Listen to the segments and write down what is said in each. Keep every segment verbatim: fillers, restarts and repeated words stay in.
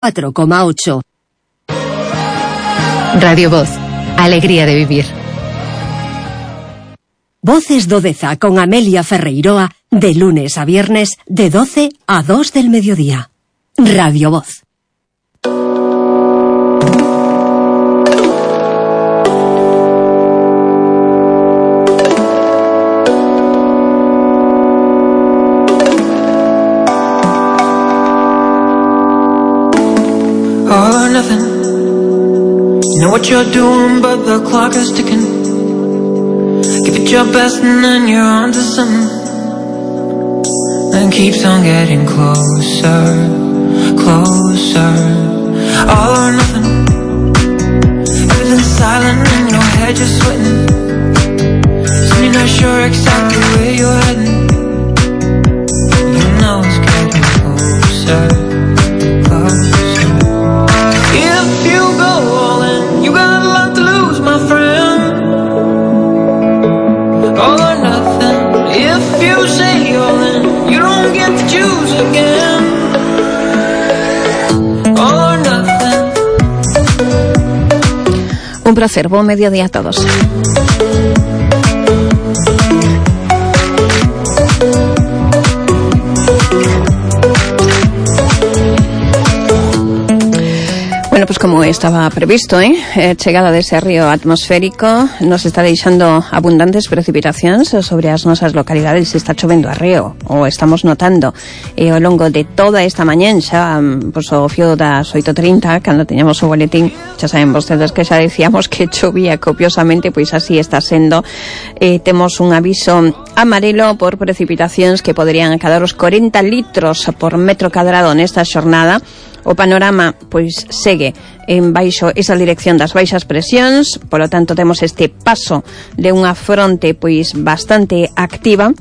cuatro coma ocho. Radio Voz, alegría de vivir. Voces do Deza con Amelia Ferreiroa, de lunes a viernes, de doce a dos del mediodía. Radio Voz. All or nothing. You know what you're doing, but the clock is ticking. Give it your best and then you're on to something. And keeps on getting closer, closer. All or nothing. Everything's silent in your head, you're sweating. So you're not sure exactly where you're heading. You know it's getting closer, closer. If you go all in, you got a lot to lose, my friend. All or nothing. If you say all in, you don't get to choose again. All or nothing. Un placer, buen mediodía a todos. Bueno, pues como estaba previsto, ¿eh? eh chegada dese río atmosférico nos está deixando abundantes precipitacións sobre as nosas localidades. Está chovendo a río, ou estamos notando e ao longo de toda esta mañán, xa pues, o fío das oito e trinta, cando teñamos o boletín, xa saben vostedes que xa decíamos que chovía copiosamente, pois así está sendo. Eh, temos un aviso amarelo por precipitacións que poderían acadar os corenta litros por metro cadrado nesta xornada. O panorama, pois, segue en baixo esa dirección das baixas presións, polo tanto temos este paso de unha fronte, pois, bastante activa,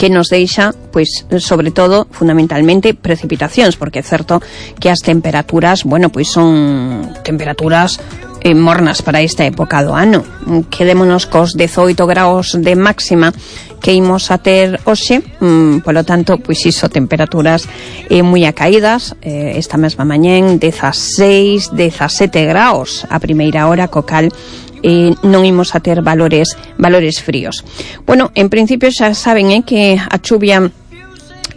que nos deixa, pois, sobre todo, fundamentalmente, precipitacións, porque é certo que as temperaturas, bueno, pois son temperaturas eh, mornas para esta época do ano. Quedémonos cos dezoito graus de máxima que imos a ter hoxe, mm, polo tanto, pois iso, temperaturas eh, moi acaídas, eh, esta mesma mañén, dezaseis, dezasete graus a primeira hora, co cal eh, non imos a ter valores valores fríos. Bueno, en principio xa saben eh, que a chuvia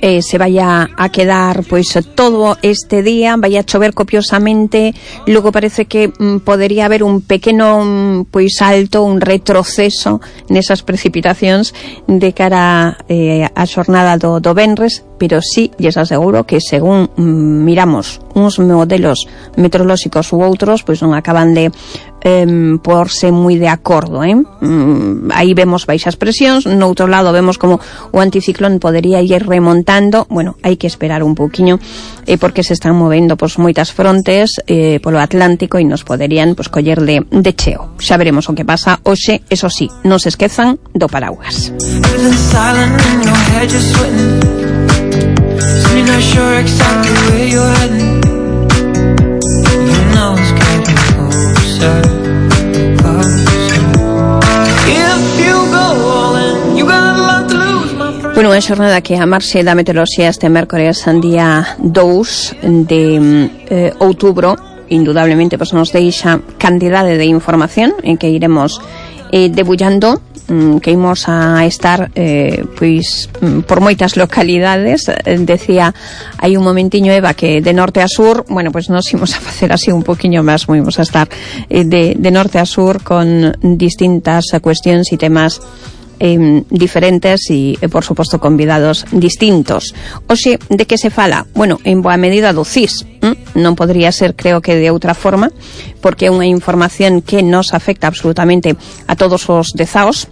Eh, se vaya a quedar pois todo este día, vaya a chover copiosamente, logo parece que mm, podería haber un pequeno mm, pois salto, un retroceso nesas precipitacións de cara eh, a xornada do, do venres, pero sí, lles aseguro que según mm, miramos uns modelos meteorolóxicos ou outros, pois non acaban de eh, porse moi de acordo, eh? Mm, aí vemos baixas presións, no outro lado vemos como o anticiclón podería ir remontando. Bueno, hai que esperar un pouquiño eh, porque se están movendo pois moitas frontes eh, polo Atlántico e nos poderían pois coller de, de cheo. Xa veremos o que pasa hoxe, eso sí, non se esquezan do paraguas. Bueno, unha xornada que a marxe da meteoroloxía este mércores día dous de eh, outubro indudablemente pues, nos deixa cantidade de información en que iremos eh, debullando, mm, que imos a estar eh, pois mm, por moitas localidades. eh, decía hai un momentiño Eva que de norte a sur, bueno, pues nos imos a facer así un poquinho máis, imos a estar eh, de, de norte a sur con distintas cuestións e temas Eh, diferentes e, eh, por suposto, convidados distintos. Oxe, de que se fala? Bueno, en boa medida do C I S. ¿eh? Non podría ser, creo que, de outra forma, porque é unha información que nos afecta absolutamente a todos os dezaos.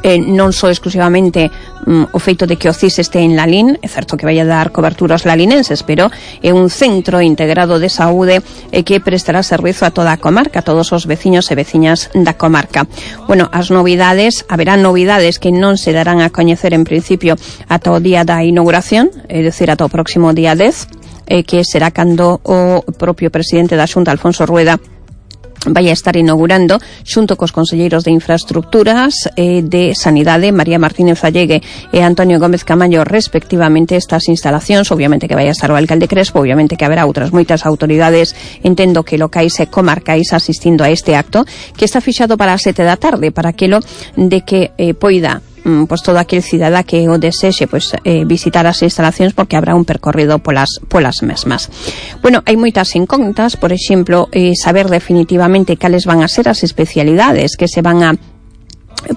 Eh, non só exclusivamente mm, o feito de que o C I S este en Lalín, é certo que vai a dar cobertura aos lalinenses, pero é un centro integrado de saúde eh, que prestará servizo a toda a comarca, a todos os veciños e veciñas da comarca. Bueno, as novidades, haberá novidades que non se darán a coñecer en principio ata o día da inauguración, é dicir, ata o próximo día dez, eh, que será cando o propio presidente da Xunta, Alfonso Rueda, vai a estar inaugurando xunto cos conselleiros de Infraestructuras e de Sanidade, María Martínez Allegue e Antonio Gómez Camaño, respectivamente, estas instalacións. Obviamente que vai a estar o alcalde Crespo, obviamente que haberá outras moitas autoridades, entendo que locais e comarcais, asistindo a este acto, que está fixado para as sete da tarde, para aquilo de que eh, poida pois todo aquel cidadá que o desexe pois eh, visitar as instalacións, porque habrá un percorrido polas polas mesmas. Bueno, hai moitas incógnitas, por exemplo, eh, saber definitivamente cales van a ser as especialidades que se van a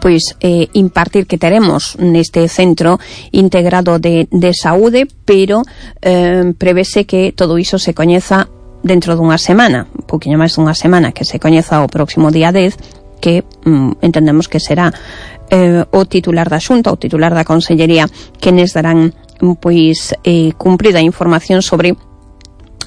pois eh, impartir, que teremos neste centro integrado de, de saúde, pero eh, prevese que todo iso se coñeza dentro dunha semana, un poquinho máis dunha semana, que se coñeza o próximo día dez, que mm, entendemos que será eh, o titular da Xunta, o titular da Consellería, que nos darán pois eh, cumprida información sobre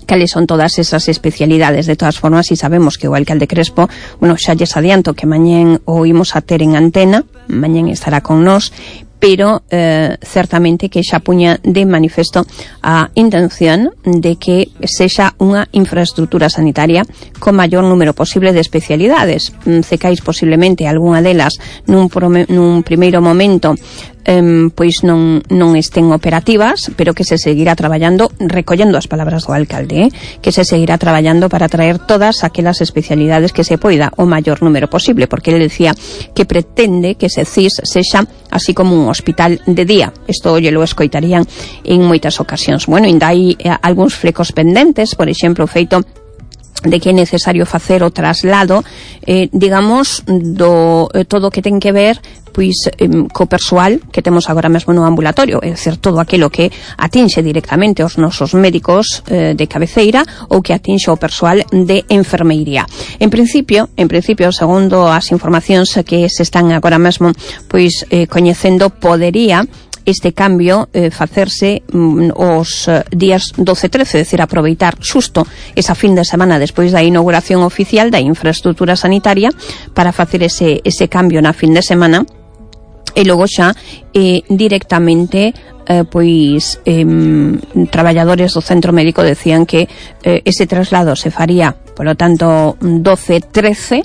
cales son todas esas especialidades. De todas formas, si sabemos que o alcalde Crespo, bueno, xa lles adianto que mañén o imos a ter en antena, mañén estará con nós, pero eh, certamente que xa puña de manifesto a intención de que sexa unha infraestructura sanitaria con maior número posible de especialidades. Cecais posiblemente algunha delas nun, prome, nun primeiro momento Um, pois non, non estén operativas, pero que se seguirá traballando, recollendo as palabras do alcalde, eh, que se seguirá traballando para traer todas aquelas especialidades que se poida o maior número posible, porque ele decía que pretende que se C I S sexa así como un hospital de día. Isto lle lo escoitarían en moitas ocasións. Bueno, ainda hai eh, algúns flecos pendentes, por exemplo, feito de que é necesario facer o traslado, eh, digamos, do eh, todo o que ten que ver pois eh, co persoal que temos agora mesmo no ambulatorio, é dicir, todo aquilo que atinxe directamente aos nosos médicos eh, de cabeceira ou que atinxe o persoal de enfermeiría. En principio, en principio, segundo as informacións que se están agora mesmo pois eh, coñecendo, podería este cambio eh, facerse mm, os eh, días doce e trece, é dicir, aproveitar xusto esa fin de semana despois da inauguración oficial da infraestructura sanitaria para facer ese, ese cambio na fin de semana, e logo xa eh, directamente eh, pois eh, traballadores do centro médico decían que eh, ese traslado se faría, polo tanto, doce e trece,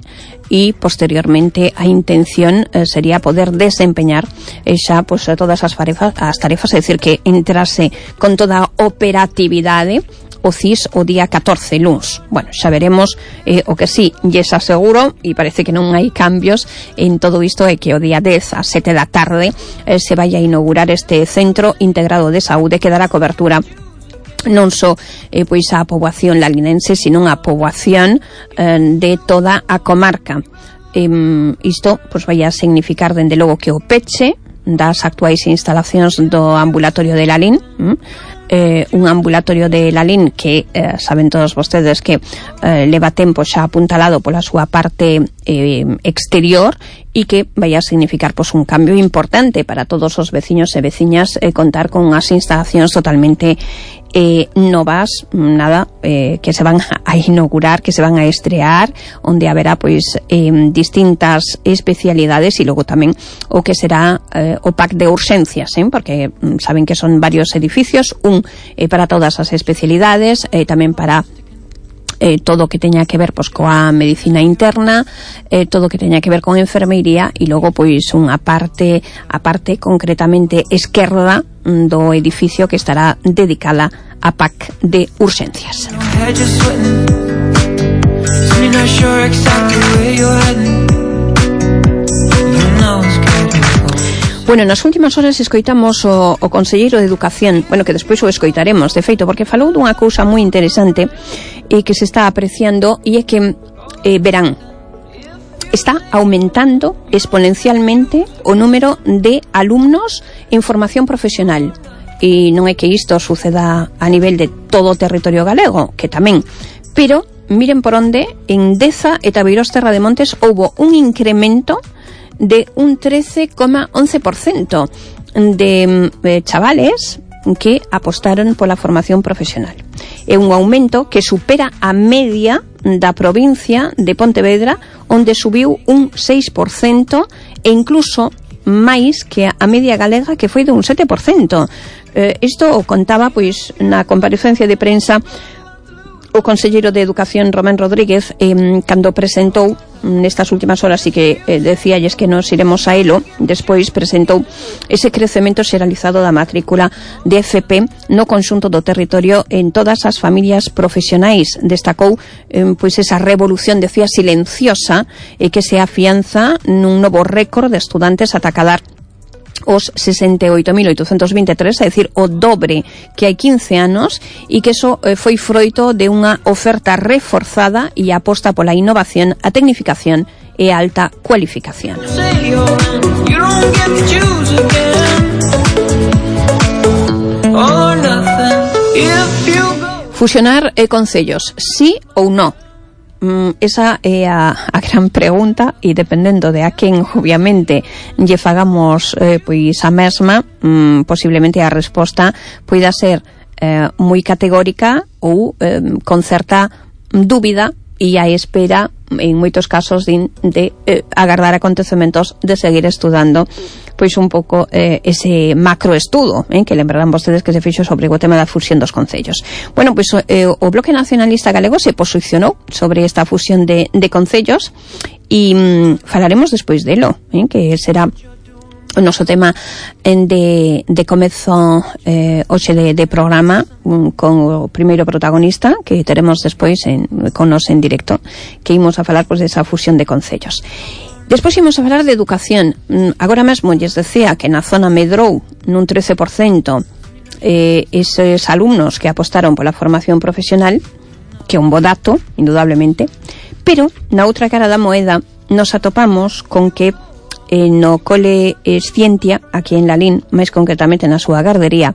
e posteriormente a intención eh, sería poder desempeñar eh, xa pues, todas as tarefas, as tarefas, é dicir, que entrase con toda a operatividade o C I S o día catorce, luns. Bueno, xa veremos. Eh, o que sí, lles aseguro, e parece que non hai cambios en todo isto, é que o día dez a sete da tarde eh, se vai a inaugurar este centro integrado de saúde que dará cobertura non só eh, pois a poboación lalinense, sino a poboación eh, de toda a comarca. Eh, isto pois vai a significar, dende logo, que o peche das actuais instalacións do ambulatorio de Lalín, hm? eh, un ambulatorio de Lalín que eh, saben todos vostedes que eh, leva tempo xa apuntalado pola súa parte eh, exterior, e que vai a significar pois, un cambio importante para todos os veciños e veciñas, eh, contar con unhas instalacións totalmente eh, novas, nada, eh, que se van a inaugurar, que se van a estrear, onde haberá pois eh, distintas especialidades, e logo tamén o que será eh, o pack de urxencias, eh, porque mm, saben que son varios edificios, un eh, para todas as especialidades, eh, tamén para Eh, todo o que teña que ver pois coa medicina interna, eh, todo o que teña que ver con enfermeiría, e logo pois unha parte, a parte concretamente esquerda do edificio que estará dedicada a pack de urxencias. Bueno, nas últimas horas escoitamos o, o conselleiro de Educación, bueno, que despois o escoitaremos, de feito, porque falou dunha cousa moi interesante e que se está apreciando, e é que, eh, verán, está aumentando exponencialmente o número de alumnos en formación profesional. E non é que isto suceda a nivel de todo o territorio galego, que tamén, pero miren por onde, en Deza e Tabeiros Terra de Montes houbo un incremento de un trece coma once por cento de eh, chavales que apostaron pola formación profesional. É un aumento que supera a media da provincia de Pontevedra, onde subiu un seis por cento, e incluso máis que a media galega, que foi de un sete por cento. Eh, isto o contaba pois na comparecencia de prensa o conselleiro de Educación, Román Rodríguez, eh, cando presentou nestas últimas horas, e que eh, decíalles que nos iremos a elo, despois presentou ese crecemento xeralizado da matrícula de F P no conxunto do territorio en todas as familias profesionais. Destacou eh, pois esa revolución, decía, silenciosa, e eh, que se afianza nun novo récord de estudantes ata cadar os sesenta e oito mil oitocentos veintitrés, é dicir, o dobre que hai quince anos, e que eso eh, foi froito de unha oferta reforzada e aposta pola innovación, a tecnificación e a alta cualificación. Fusionar eh, concellos, sí ou no? Mm, esa é a, a gran pregunta, e dependendo de a quen, obviamente, lle fagamos eh, pois a mesma, mm, posiblemente a resposta poida ser eh, moi categórica ou eh, con certa dúbida e a espera, en moitos casos, de, de eh, agardar acontecementos, de seguir estudando pois un pouco eh, ese macroestudo, eh, que lembrarán vostedes que se fixo sobre o tema da fusión dos concellos. Bueno, pois eh, o Bloque Nacionalista Galego se posicionou sobre esta fusión de, de concellos, e mm, falaremos despois delo, eh, que será o noso tema en de, de comezo eh, hoxe de, de programa, um, con o primeiro protagonista que teremos despois en, con nos en directo, que imos a falar pois desa fusión de concellos. Despois imos a falar de educación. Agora mesmo lles decía que na zona medrou nun trece por cento eh, eses alumnos que apostaron pola formación profesional, que é un bo dato, indudablemente, pero na outra cara da moeda nos atopamos con que eh, no cole Escientia, aquí en Lalín, máis concretamente na súa gardería,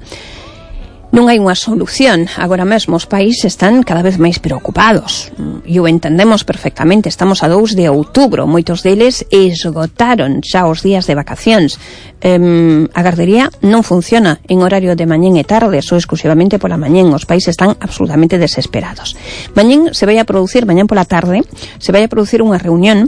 non hai unha solución. Agora mesmo os pais están cada vez máis preocupados, e o entendemos perfectamente. Estamos a dous de outubro, moitos deles esgotaron xa os días de vacacións. Um, a gardería non funciona en horario de mañén e tarde, só exclusivamente pola mañén. Os pais están absolutamente desesperados. Mañén se vai a producir, mañén pola tarde, se vai a producir unha reunión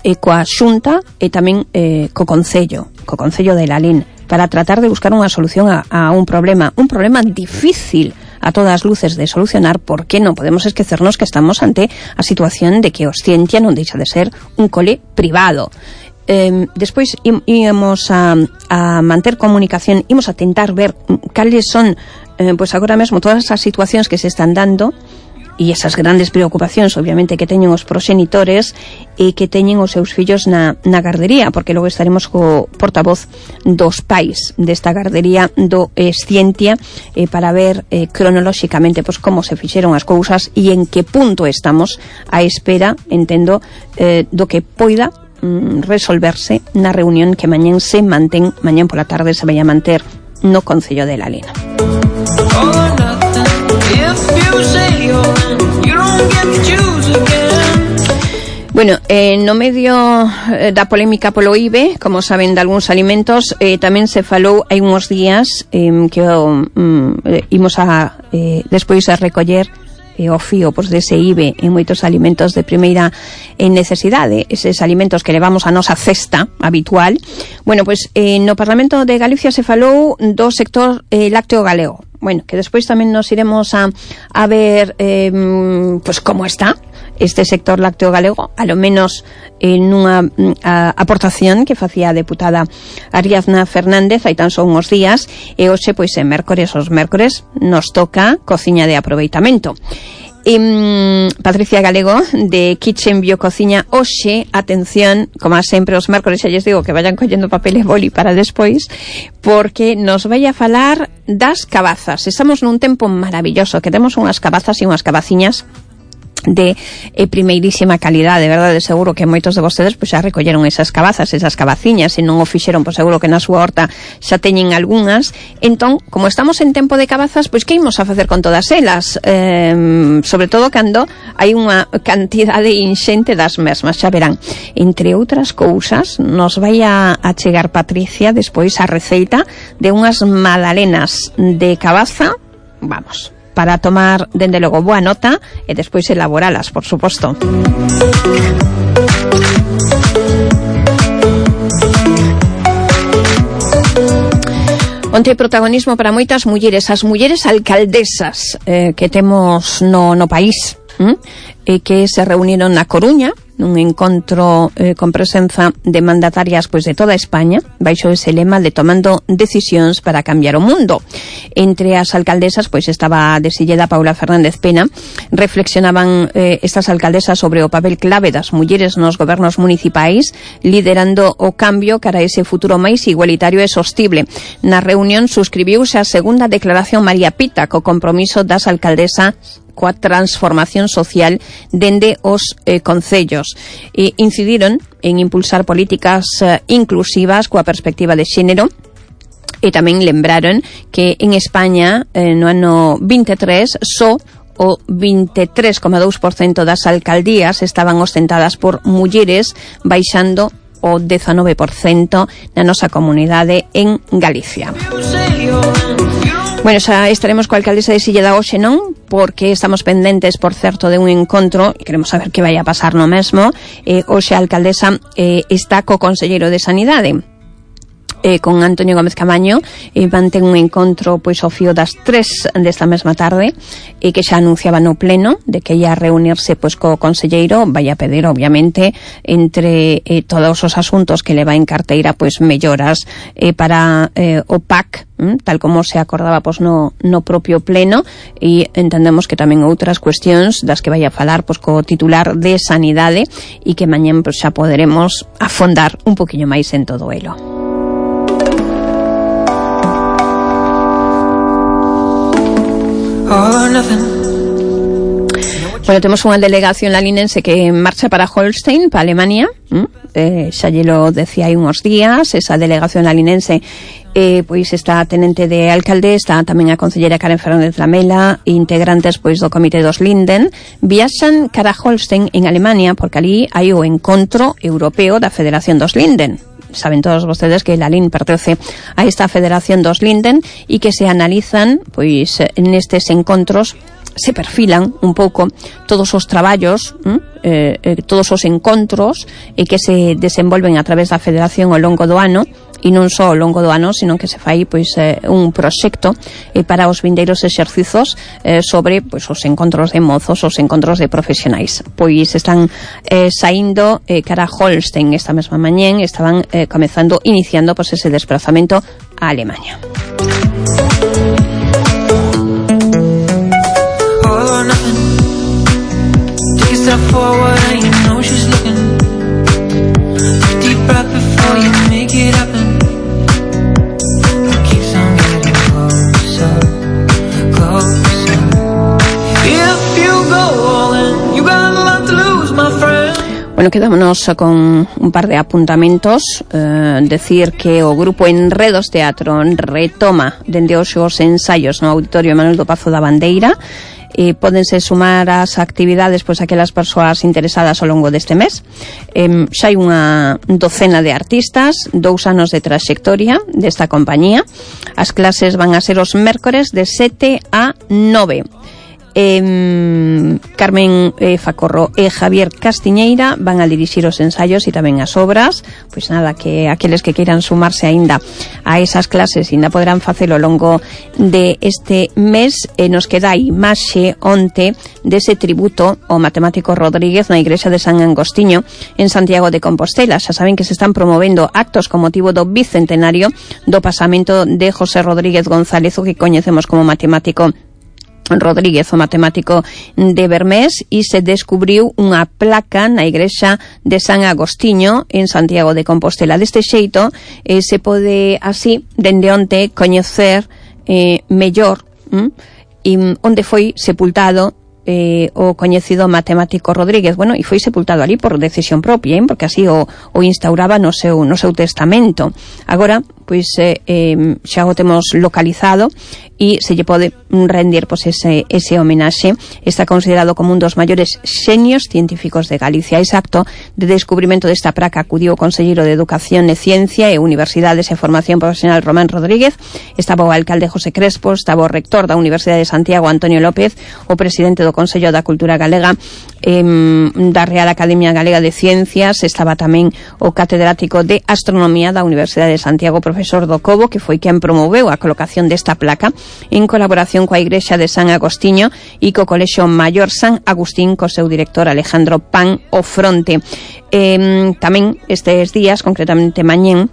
e coa Xunta e tamén eh, co Concello, co Concello de Lalín, para tratar de buscar unha solución a, a un problema, un problema difícil a todas luces de solucionar, porque non podemos esquecernos que estamos ante a situación de que Escientia non deixa de ser un cole privado. Eh, despois íamos a, a manter comunicación, ímos a tentar ver cales son, eh, pois agora mesmo todas as situacións que se están dando, e esas grandes preocupacións, obviamente, que teñen os proxenitores e que teñen os seus fillos na, na gardería, porque logo estaremos co portavoz dos pais desta gardería do Escientia, eh, para ver eh, cronolóxicamente pois, como se fixeron as cousas e en que punto estamos a espera, entendo, eh, do que poida mm, resolverse na reunión que mañén se mantén, mañén pola tarde se vai a manter no Concello de Lalín. Bueno, eh, no medio eh, da polémica polo I B E, como saben, de algúns alimentos, eh, tamén se falou hai uns días eh, que oh, mm, eh, imos a eh, despois a recoller eh, o fío pois, dese I B E en moitos alimentos de primeira en necesidade, eses alimentos que levamos a nosa cesta habitual. Bueno, pois eh, no Parlamento de Galicia se falou do sector eh, lácteo galego. Bueno, que despois tamén nos iremos a, a ver eh, pois como está este sector lácteo galego, a lo menos en unha a, aportación que facía a deputada Ariadna Fernández hai tan só uns días, e hoxe, pois, en mércores, os mércores, nos toca cociña de aproveitamento. E, Patricia Galego, de Kitchen Biocociña, hoxe, atención, como sempre os mércores, xa lles digo que vayan collendo papel e boli para despois, porque nos vai a falar das cabazas. Estamos nun tempo maravilloso, que temos unhas cabazas e unhas cabaciñas de eh, primeirísima calidade, verdade? Seguro que moitos de vostedes pois, xa recolleron esas cabazas, esas cabaciñas, e non o fixeron, pois seguro que na súa horta xa teñen algunhas. Entón, como estamos en tempo de cabazas, pois que imos a facer con todas elas? Eh, sobre todo cando hai unha cantidade inxente das mesmas, xa verán. Entre outras cousas, nos vai a, a chegar Patricia despois a receita de unhas magdalenas de cabaza, vamos, para tomar, dende logo, boa nota e despois elaboralas, por suposto. Onte protagonismo para moitas mulleres, as mulleres alcaldesas eh, que temos no, no país, hm? e que se reuniron na Coruña nun encontro eh, con presenza de mandatarias pois de toda España, baixo ese lema de tomando decisións para cambiar o mundo. Entre as alcaldesas pois estaba de Silleda Paula Fernández Pena. Reflexionaban eh, estas alcaldesas sobre o papel clave das mulleres nos gobernos municipais, liderando o cambio cara a ese futuro máis igualitario e sostible. Na reunión suscribiuse a segunda declaración María Pita co compromiso das alcaldesas coa transformación social dende os eh, concellos. E incidiron en impulsar políticas eh, inclusivas coa perspectiva de xénero e tamén lembraron que en España eh, no ano vinte e tres só o vinte e tres coma dous por cento das alcaldías estaban ostentadas por mulleres, baixando o dezanove por cento na nosa comunidade en Galicia. Bueno, xa estaremos coa alcaldesa de Silleda hoxe, non? Porque estamos pendentes, por certo, de un encontro e queremos saber que vai a pasar no mesmo. Eh, hoxe a alcaldesa eh, está co conselleiro de Sanidade, eh, con Antonio Gómez Camaño, e mantén un encontro pois ao fío das tres desta mesma tarde, e que xa anunciaba no pleno de que ia reunirse pois co conselleiro. Vai a pedir, obviamente, entre eh, todos os asuntos que leva en carteira, pois melloras eh, para eh, o P A C, tal como se acordaba pois no, no propio pleno, e entendemos que tamén outras cuestións das que vai a falar pois co titular de Sanidade, e que mañán pois xa poderemos afondar un poquinho máis en todo elo. Bueno, temos unha delegación lalinense que marcha para Holstein, para Alemania. ¿Mm? Eh, xa lle lo decía hai uns días. Esa delegación lalinense eh, pois está a tenente de alcalde, está tamén a concellera Karen Fernández Lamela, integrantes pois do comité dos Linden. Viaxan cara a Holstein en Alemania porque ali hai o encontro europeo da Federación dos Linden. Saben todos vostedes que la L I N pertence a esta Federación dos Linden e que se analizan pois nestes encontros, se perfilan un pouco todos os traballos, eh, eh, todos os encontros e que se desenvolven a través da Federación ao longo do ano, e non só ao longo do ano, sino que se fai pois eh, un proxecto eh, para os vindeiros exercizos eh, sobre pois os encontros de mozos, os encontros de profesionais. Pois están eh, saindo eh, cara a Holstein esta mesma mañén, estaban eh, comezando, iniciando pois ese desplazamento a Alemania. Bueno, quedámonos con un par de apuntamentos. Eh, decir que o grupo Enredos Teatro retoma dende hoxe os ensaios no Auditorio Manuel do Pazo da Bandeira. E pódense sumar as actividades pois aquelas persoas interesadas ao longo deste mes. Eh, xa hai unha docena de artistas, dous anos de traxectoria desta compañía. As clases van a ser os mércores de sete a nove. Eh, Carmen eh, Facorro e Javier Castiñeira van a dirixir os ensaios e tamén as obras. Pois nada, que aqueles que queiran sumarse aínda a esas clases ainda poderán facelo ao longo de este mes. E nos queda a imaxe onte dese tributo ao matemático Rodríguez na igrexa de San Angostiño en Santiago de Compostela. Xa saben que se están promovendo actos con motivo do bicentenario do pasamento de José Rodríguez González, o que coñecemos como matemático Rodríguez, o matemático de Bermés, e se descubriu unha placa na igrexa de San Agostiño en Santiago de Compostela. Deste xeito eh, se pode así dende onte coñecer eh, mellor hm, e onde foi sepultado eh, o coñecido matemático Rodríguez. Bueno, e foi sepultado ali por decisión propia, eh, porque así o, o instauraba no seu, no seu testamento. Agora, pois eh, eh, xa o temos localizado e se lle pode rendir pois ese, ese homenaxe. Está considerado como un dos maiores xenios científicos de Galicia. Ese acto de descubrimento desta placa acudiu o conselleiro de Educación e Ciencia e Universidades e Formación Profesional Román Rodríguez, estaba o alcalde José Crespo, estaba o rector da Universidade de Santiago Antonio López, o presidente do Consello da Cultura Galega, eh, da Real Academia Galega de Ciencias, estaba tamén o catedrático de Astronomía da Universidade de Santiago, profesor do Cobo, que foi quen promoveu a colocación desta placa en colaboración coa Igrexa de San Agostiño e co Colexio Maior San Agustín, co seu director Alejandro Pan o fronte. Eh, tamén estes días, concretamente mañén,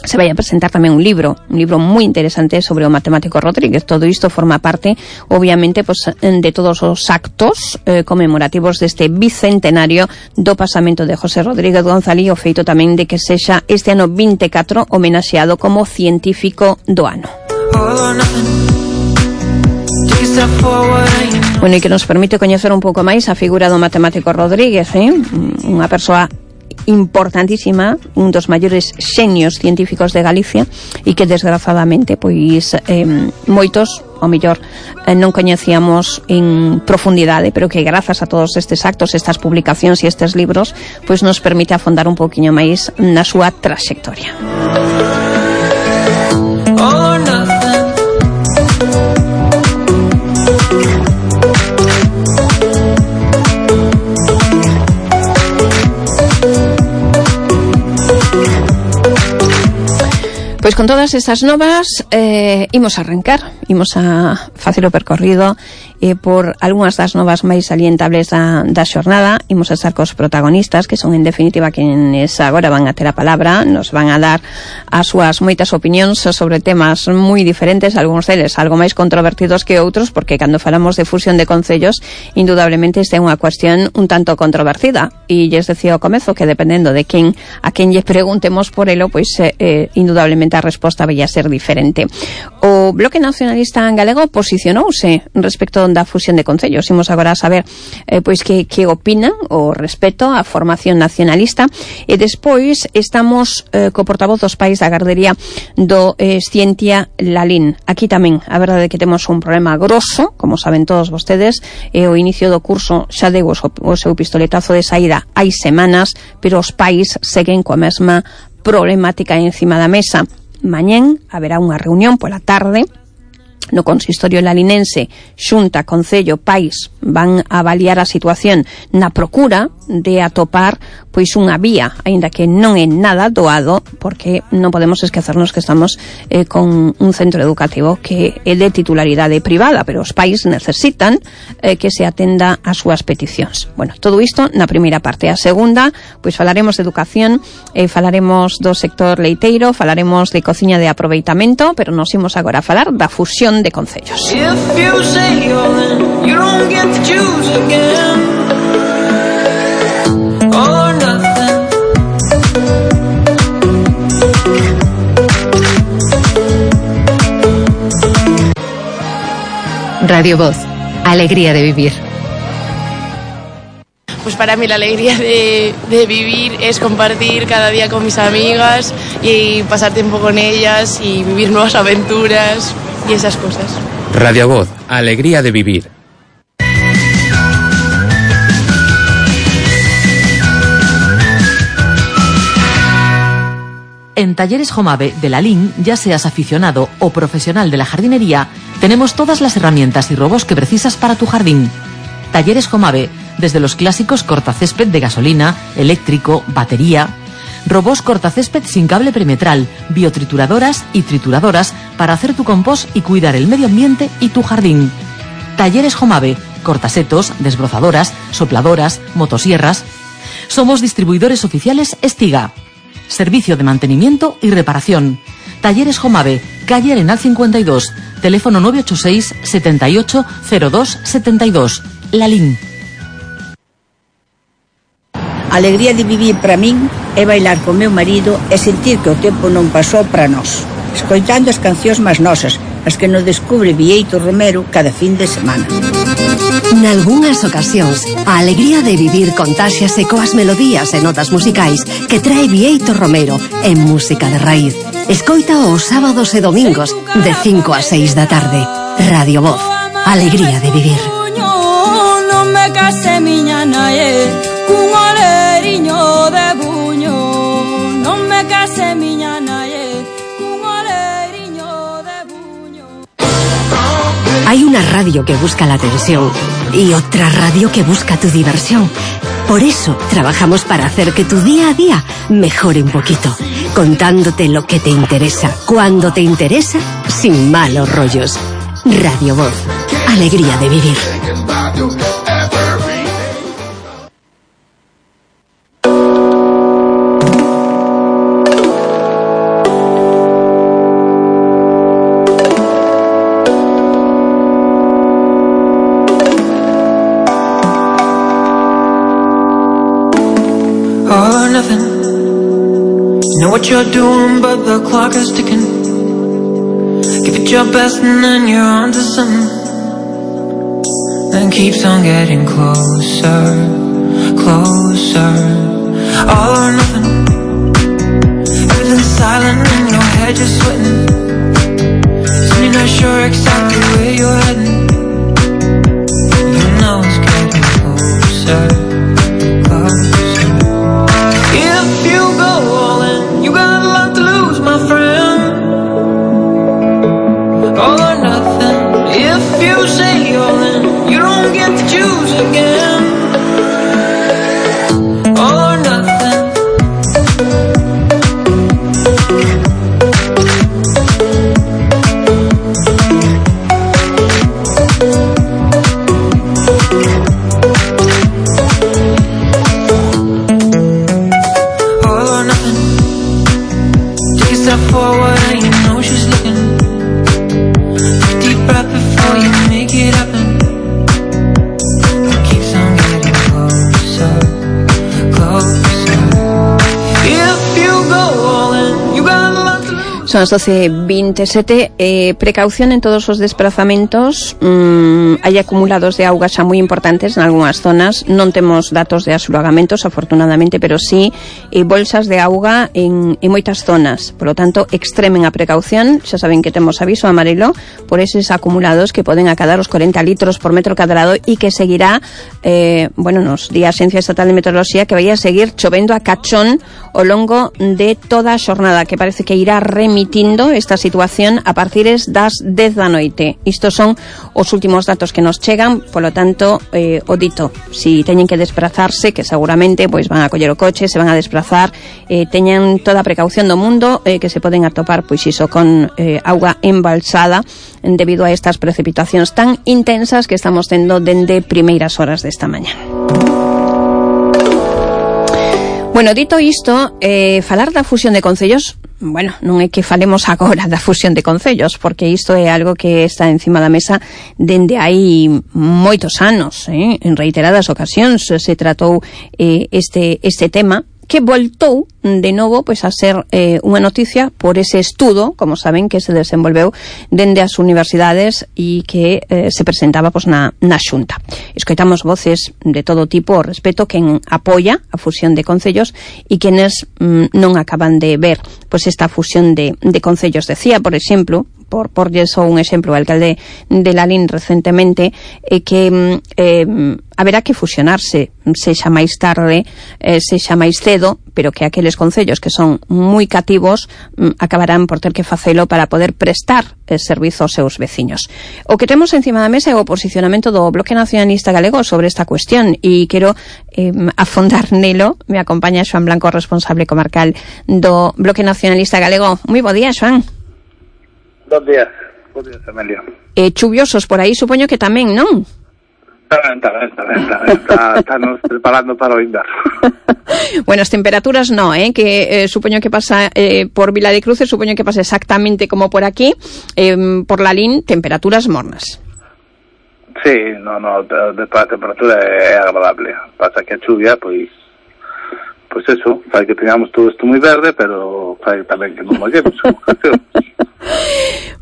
se vai a presentar tamén un libro, un libro moi interesante sobre o matemático Rodríguez. Todo isto forma parte, obviamente, pues, de todos os actos eh, conmemorativos deste bicentenario do pasamento de José Rodríguez González, o feito tamén de que sexa este ano vinte e catro homenaxeado como científico do ano. Bueno, e que nos permite coñecer un pouco máis a figura do matemático Rodríguez, eh? Unha persoa importantísima, un dos maiores xenios científicos de Galicia e que desgraciadamente pois eh, moitos, o mellor, eh, non coñecíamos en profundidade, pero que grazas a todos estes actos, estas publicacións e estes libros, pois nos permite afondar un pouquiño máis na súa traxectoria. Oh, Pois con todas estas novas eh, imos a arrancar, imos a facer o percorrido eh, por algunhas das novas máis salientables da, da xornada. Imos a estar cos protagonistas, que son en definitiva quienes agora van a ter a palabra, nos van a dar as súas moitas opinións sobre temas moi diferentes, algúns deles algo máis controvertidos que outros, porque cando falamos de fusión de concellos, indudablemente esta é unha cuestión un tanto controvertida, e lles decía ao comezo que dependendo de quen a quen lle preguntemos por elo, pois eh, eh, indudablemente a resposta vai a ser diferente. O Bloque Nacionalista Galego posicionouse respecto da fusión de concellos. Imos agora a saber eh, pois que, que opinan o respecto á formación nacionalista, e despois estamos eh, co portavoz dos pais da gardería do eh, Scientia Lalín. Aquí tamén a verdade é que temos un problema grosso, como saben todos vostedes, e o inicio do curso xa deu o, o seu pistoletazo de saída hai semanas, pero os pais seguen coa mesma problemática encima da mesa. Mañén haberá unha reunión pola tarde no consistorio lalinense, Xunta, Concello, Pais van a avaliar a situación na procura de atopar pois unha vía, aínda que non é nada doado, porque non podemos esquecernos que estamos eh, con un centro educativo que é de titularidade privada, pero os pais necesitan eh, que se atenda ás súas peticións. Bueno, todo isto na primeira parte. A segunda, pois falaremos de educación, eh, falaremos do sector leiteiro, falaremos de cociña de aproveitamento, pero nos imos agora a falar da fusión de concellos. Radio Voz, alegría de vivir. Pues para mí la alegría de, de vivir es compartir cada día con mis amigas y pasar tiempo con ellas y vivir nuevas aventuras y esas cosas. Radio Voz, alegría de vivir. En Talleres Jomave de Lalín, ya seas aficionado o profesional de la jardinería, tenemos todas las herramientas y robos que precisas para tu jardín. Talleres Jomave, desde los clásicos cortacésped de gasolina, eléctrico, batería, robos cortacésped sin cable perimetral, biotrituradoras y trituradoras para hacer tu compost y cuidar el medio ambiente y tu jardín. Talleres Jomave, cortasetos, desbrozadoras, sopladoras, motosierras. Somos distribuidores oficiales Estiga. Servicio de mantenimiento y reparación. Talleres Jomave, calle Arenal cincuenta y dos, teléfono nueve ocho seis, setenta y ocho, cero dos, setenta y dos. Lalín. A alegría de vivir para min é bailar con meu marido e sentir que o tempo non pasou para nós, escoitando as cancións máis nosas, as que nos descubre Bieito Romero cada fin de semana. Nalgúnas ocasións, a alegría de vivir contáxiase coas melodías e notas musicais que trae Bieito Romero en música de raíz. Escoita os sábados e domingos de cinco a seis da tarde. Radio Voz, alegría de vivir. Non me case miña nae cun oleriño de buño. Non me case miña nae cun oleriño de buño. Hay una radio que busca la atención y otra radio que busca tu diversión. Por eso trabajamos para hacer que tu día a día mejore un poquito. contándote lo que te interesa, cuando te interesa, sin malos rollos. Radio Voz, alegría de vivir. All or nothing. You know what you're doing, but the clock is ticking. Give it your best and then you're on to something. And keeps on getting closer, closer. All or nothing. Everything's silent in your head, you're sweating. So you're not sure exactly where you're heading. You know it's getting closer, closer. If you go all in, you got a lot to lose, my friend. All or nothing. If you say all in, you don't get to choose again. All or nothing. Forward and you know she's looking. Take a deep breath before you make it happen. It keeps on getting closer, closer. If you go all in, you got a lot to lose. Son as doce veintisiete. Eh, precaución en todos os desplazamentos. Mm, hai acumulados de auga xa moi importantes en algunhas zonas. Non temos datos de asolagamentos, afortunadamente, pero sí eh, bolsas de auga en, en moitas zonas. Por lo tanto, extremen a precaución. Xa saben que temos aviso amarelo por eses acumulados que poden acadar os cuarenta litros por metro cadrado e que seguirá, eh, bueno, nos di a Axencia Estatal de Meteoroloxía que vai a seguir chovendo a cachón ao longo de toda a xornada, que parece que irá remitindo esta situación a partir das dez da noite. Estos son os últimos datos que nos chegan, polo tanto, eh, o dito, si teñen que desplazarse, que seguramente pois van a coller o coche, se van a desplazar, eh, teñan toda a precaución do mundo, eh, que se poden atopar pois iso con eh, auga embalsada debido a estas precipitacións tan intensas que estamos tendo dende primeiras horas desta mañá. Bueno, dito isto, eh, falar da fusión de concellos, bueno, non é que falemos agora da fusión de concellos, porque isto é algo que está encima da mesa dende hai moitos anos, eh? En reiteradas ocasións se tratou eh, este, este tema, que voltou de novo pois a ser eh, unha noticia por ese estudo, como saben, que se desenvolveu dende as universidades e que eh, se presentaba pois na, na Xunta. Escoitamos voces de todo tipo ao respecto, quen apoia a fusión de concellos e quenes mm, non acaban de ver pois esta fusión de, de concellos. Decía, por exemplo, por porlle só un exemplo, o alcalde de Lalín recentemente, eh, que eh, haberá que fusionarse, sexa máis tarde, eh, sexa máis cedo, pero que aqueles concellos que son moi cativos mm, acabarán por ter que facelo para poder prestar eh, servizo aos seus veciños. O que temos encima da mesa é o posicionamento do Bloque Nacionalista Galego sobre esta cuestión e quero eh, afondar nelo. Me acompaña Xoán Blanco, responsable comarcal do Bloque Nacionalista Galego. Moi bo día, Xoán. Bos días, bos días, Amelia. Eh, chuviosos por aí, supoño que tamén, non? Está ben, está ben, está ben, está ben. Está, está nos preparando para o inverno. Bueno, as temperaturas no, eh, que eh, supoño que pasa eh, por Vila de Cruces, supoño que pasa exactamente como por aquí, eh, por Lalín, temperaturas mornas. Sí, no, no, despois a temperatura é agradable. Pasa que a chuvia, pois, pois eso, fai que tengamos todo isto moi verde, pero fai tamén que non mollemos.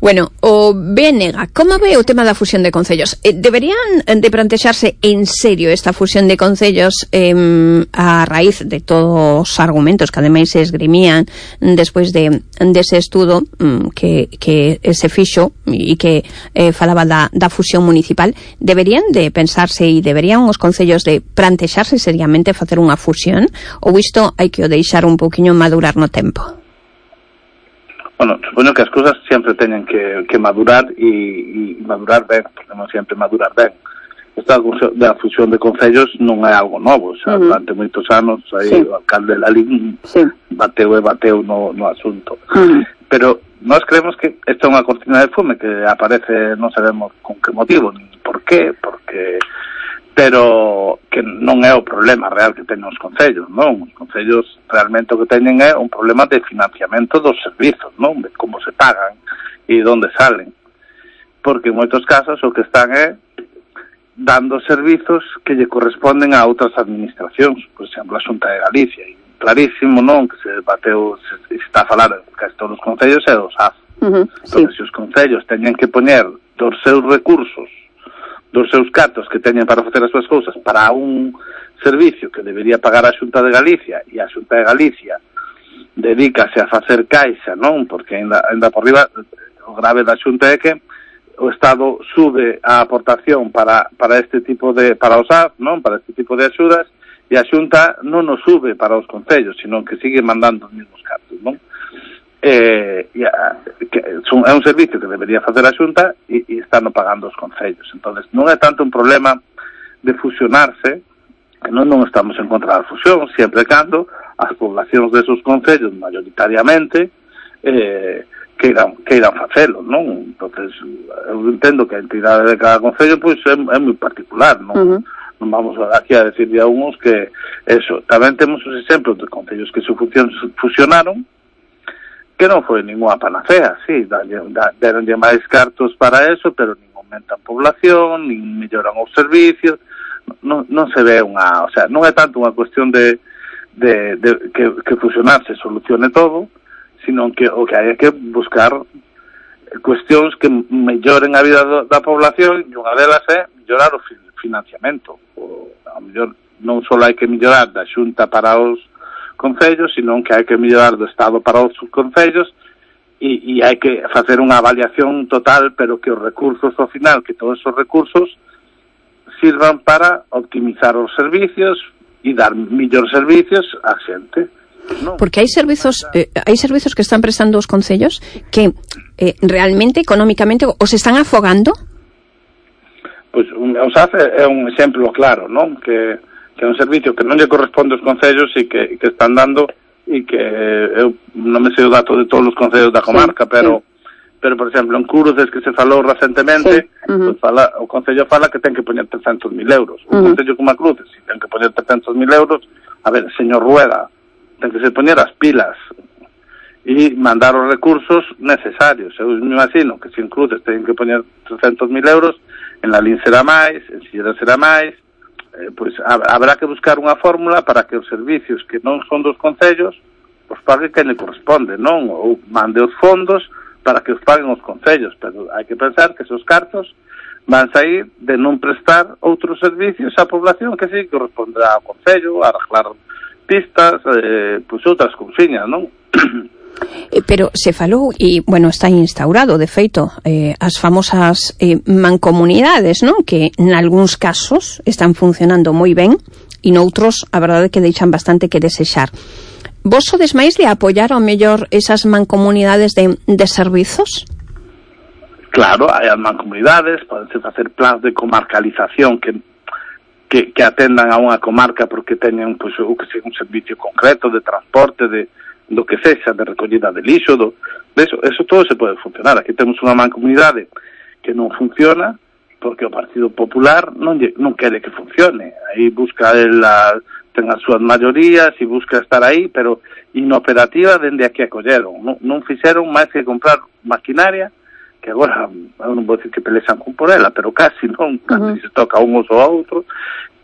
Bueno, o B N G, como ve o tema da fusión de concellos? Eh, deberían de plantexarse en serio esta fusión de concellos eh, a raíz de todos os argumentos que ademais se esgrimían despois de dese estudo mm, que, que se fixo e que eh, falaba da, da fusión municipal? Deberían de pensarse e deberían os concellos de plantexarse seriamente facer unha fusión, ou isto hai que o deixar un pouquiño madurar no tempo? Bueno, supoño que as cousas sempre teñen que, que madurar e, e madurar ben, porque non sempre madurar ben. esta da fusión de concellos non é algo novo, xa, uh-huh. durante moitos anos aí sí. o alcalde de Lalín sí. bateu e bateu no, no asunto. Uh-huh. Pero nós creemos que esta é unha cortina de fume que aparece, non sabemos con que motivo, ni por qué, porque pero que non é o problema real que teñen os concellos, non? Os concellos realmente o que teñen é un problema de financiamento dos servizos, non? De como se pagan e de onde salen. Porque en moitos casos o que están é dando servizos que lle corresponden a outras administracións, por exemplo, a Xunta de Galicia, e clarísimo, non, que se bateu, se, se está a falar de casi todos os concellos é dos A F. Uh-huh, entón, sí. Se os concellos teñen que poñer dos seus recursos, dos seus cartos que teñen para facer as súas cousas para un servicio que debería pagar a Xunta de Galicia, e a Xunta de Galicia dedícase a facer caixa, non, porque ainda, ainda por riba o grave da Xunta é que o Estado sube a aportación para para este tipo de para os A F, non, para este tipo de axudas, e a Xunta non nos sube para os concellos, sino que sigue mandando os mesmos cartos, non? Eh, e a, que son, é un servicio que debería facer a Xunta e, e están pagando os concellos. Entonces, non é tanto un problema de fusionarse, que non, non estamos en contra da fusión, sempre e cando as poblacións desos concellos mayoritariamente eh, queiran, queiran facelo, non? Entonces, eu entendo que a entidade de cada concello pois é, é moi particular, non? Uh-huh. Non vamos aquí a decirle a uns que eso. Tamén temos os exemplos de concellos que se fusionaron que non foi ninguna panacea, sí, deronlle máis cartos para eso, pero nin aumentan población, nin melloran os servicios, non, non se ve unha, o sea, non é tanto unha cuestión de, de, de que, que fusionarse solucione todo, sino que o que hai que buscar cuestións que melloren a vida do, da población, e unha delas é mellorar o financiamento. O, a mellor non só hai que mellorar da Xunta para os concellos, sino que hai que mellorar do Estado para os concellos, e, e hai que facer unha avaliación total, pero que os recursos ao final, que todos esos recursos sirvan para optimizar os servicios e dar mellores servicios á xente. No. Porque hai servizos eh, hai servizos que están prestando os concellos que eh, realmente económicamente os están afogando. Pois pues, o S A F é un exemplo claro, non? Que, que é un servicio que non lle corresponde aos concellos e que, que están dando, e que eu non me sei o dato de todos os concellos da comarca, sí, pero sí. pero por exemplo en Cruces, que se falou recentemente, sí. uh-huh. pues fala, o concello fala que ten que poñer trescentos mil euros. Un uh-huh. concello como a Cruces, se ten que poñer trescentos mil euros, a ver, señor Rueda, ten que se poñer as pilas e mandar os recursos necesarios. Eu me imagino que se en Cruces ten que poñer trescentos mil euros, en Lalín será máis, en Silleda será máis, eh, pois habrá que buscar unha fórmula para que os servicios que non son dos concellos os pague quen le corresponde, non? Ou mande os fondos para que os paguen os concellos, pero hai que pensar que esos cartos van sair de non prestar outros servicios á población que sí corresponderá ao concello, a arreglar pistas, eh, pois outras cousiñas, non? Pero se falou, e, bueno, está instaurado, de feito, eh, as famosas eh, mancomunidades, non? Que, en algúns casos, están funcionando moi ben, e noutros, a verdade, que deixan bastante que desexar. Vos sodes máis de apoiar, ao mellor, esas mancomunidades de, de servizos? Claro, hai as mancomunidades, podense facer plans de comarcalización que Que, que atendan a unha comarca porque teñen pois, o que sea un servicio concreto de transporte, de do que sexa, de recollida de lixo, do, de eso, eso todo se pode funcionar. Aquí temos unha mancomunidade que non funciona porque o Partido Popular non, non quere que funcione. Aí busca ela, ten as súas maiorías e busca estar aí, pero inoperativa dende a que acolleron. Non, non fixeron máis que comprar maquinaria, que agora, eu non vou dicir que pelexan con por ela, pero casi non, casi uh-huh. se toca un uso ao outro,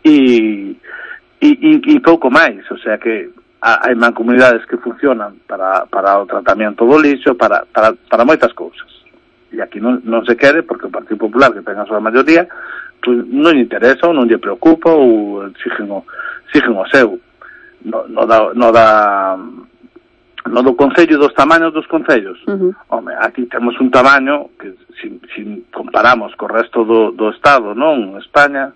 e, e, e, e pouco máis, o sea que hai mancomunidades que funcionan para, para o tratamento do lixo, para, para, para moitas cousas, e aquí non, non se quere, porque o Partido Popular, que ten a súa maioría, pues, non lle interesa ou non lle preocupa ou exigen o, exigen o seu. No, no da... No da no do concello, dos tamaños dos concellos. Uh-huh. Home, aquí temos un tamaño que, se si, si comparamos co resto do, do Estado, non? España,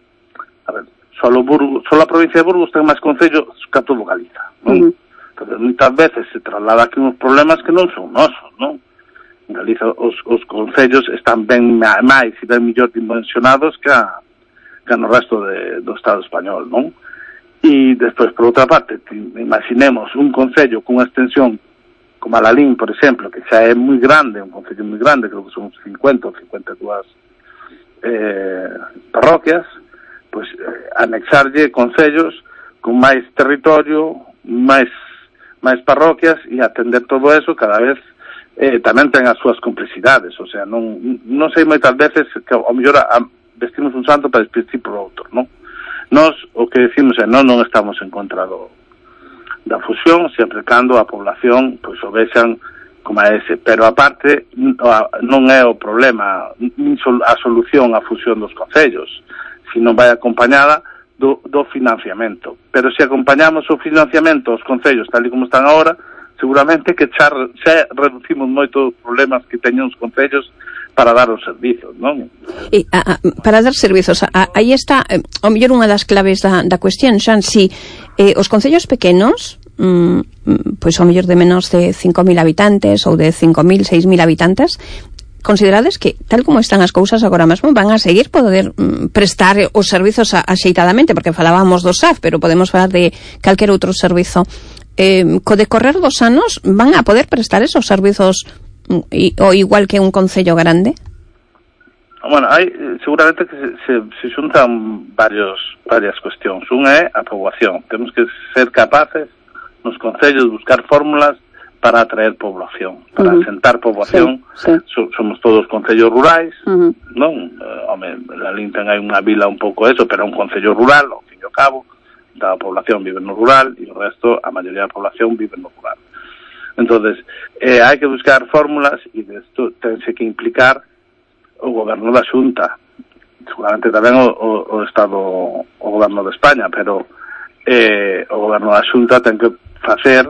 a ver, solo, Burgos, solo a provincia de Burgos ten máis concellos que a todo Galiza, non? Uh-huh. Entonces, moitas veces se traslada aquí uns problemas que non son nosos, non? En Galiza os, os concellos están ben máis e ben mellor dimensionados que a, que no resto de, do Estado español, non? E despois, por outra parte, imaginemos un concello cunha extensión como a Lalín, por exemplo, que xa é moi grande, un concello moi grande, creo que son cincuenta ou cincuenta e dúas eh, parroquias, pois eh, anexarlle concellos con máis territorio, máis máis parroquias, e atender todo eso cada vez eh, tamén ten as súas complexidades, o sea, non, non sei moitas veces que ao mellor a, vestimos un santo para despistir por outro, non? Nos, o que decimos é, non, non estamos en contra do da fusión, sempre cando a población pois o vexan como a ese, pero aparte non é o problema nin a solución a fusión dos concellos, sino vai acompañada do, do financiamento, pero se acompañamos o financiamento aos concellos tal e como están agora, seguramente que xa, xa reducimos moito os problemas que teñen os concellos para dar os servizos, non? E, a, a, para dar servizos, a, aí está, eh, ao mellor unha das claves da, da cuestión, Xan, si eh, os concellos pequenos, mm, pois ao mellor de menos de cinco mil habitantes ou de cinco mil, seis mil habitantes, considerades que, tal como están as cousas agora mesmo, van a seguir poder mm, prestar os servizos a, axeitadamente, porque falábamos do S A F, pero podemos falar de calquer outro servizo. Eh, co decorrer dos anos, van a poder prestar esos servizos I, o igual que un concello grande? Bueno, hai seguramente que se, se, se xuntan varios, varias cuestións. Unha é a poboación. Temos que ser capaces nos concellos de buscar fórmulas para atraer población, para uh-huh. asentar poboación. Sí, sí. So, somos todos concellos rurais, uh-huh. non? Uh, home, la Linten hai unha vila un pouco eso, pero é un concello rural, ao fin e ao cabo, da población vive no rural e o resto, a maioría da población vive no rural. Entonces, eh, hai que buscar fórmulas e isto tense que implicar o goberno da Xunta, seguramente tamén o, o, o Estado, o goberno de España, pero eh, o goberno da Xunta ten que facer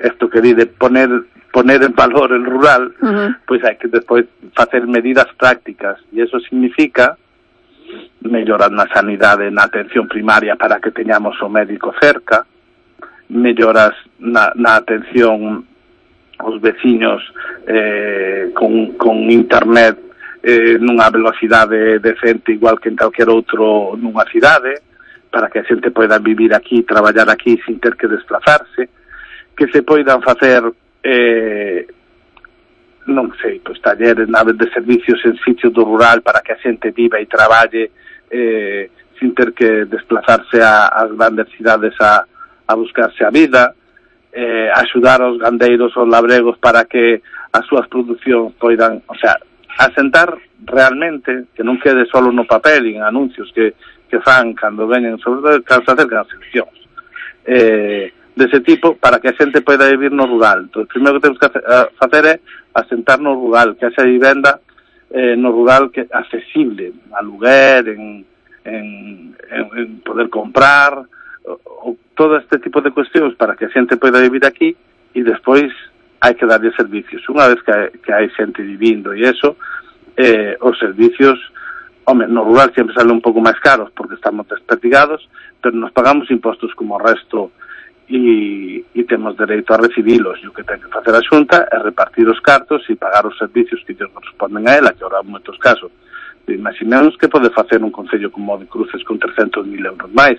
isto que di de poner, poner en valor el rural, uh-huh. pois hai que despois facer medidas prácticas, e eso significa mellorar na sanidade, na atención primaria para que teñamos o médico cerca, melloras na, na atención os veciños eh, con, con internet eh, nunha velocidade decente igual que en calquer outro nunha cidade, para que a xente poida vivir aquí, traballar aquí sin ter que desplazarse, que se poidan facer eh, non sei, pois talleres, naves de servicios en sitios do rural para que a xente viva e traballe eh, sin ter que desplazarse a, as grandes cidades a, a buscarse a vida, eh, axudar aos gandeiros, aos labregos para que as súas producións poidan, o sea, asentar realmente, que non quede solo no papel e en anuncios que, que fan cando veñen, sobre todo cando se acercan as eleccións, eh, dese tipo, para que a xente poida vivir no rural. Entón, o primeiro que temos que facer é asentar no rural, que haxa vivenda eh, no rural que accesible, aluguer, en, en, en, en poder comprar, o, todo este tipo de cuestións para que a xente poida vivir aquí, e despois hai que darlle servicios. Unha vez que hai, que hai xente vivindo e eso, eh, os servicios, home, no rural sempre salen un pouco máis caros porque estamos desperdigados, pero nos pagamos impostos como o resto e, e temos dereito a recibilos, e o que ten que facer a Xunta é repartir os cartos e pagar os servicios que lles corresponden a ela, que ahora en moitos casos imaginemos que pode facer un concello como o de Cruces con trescentos mil euros máis.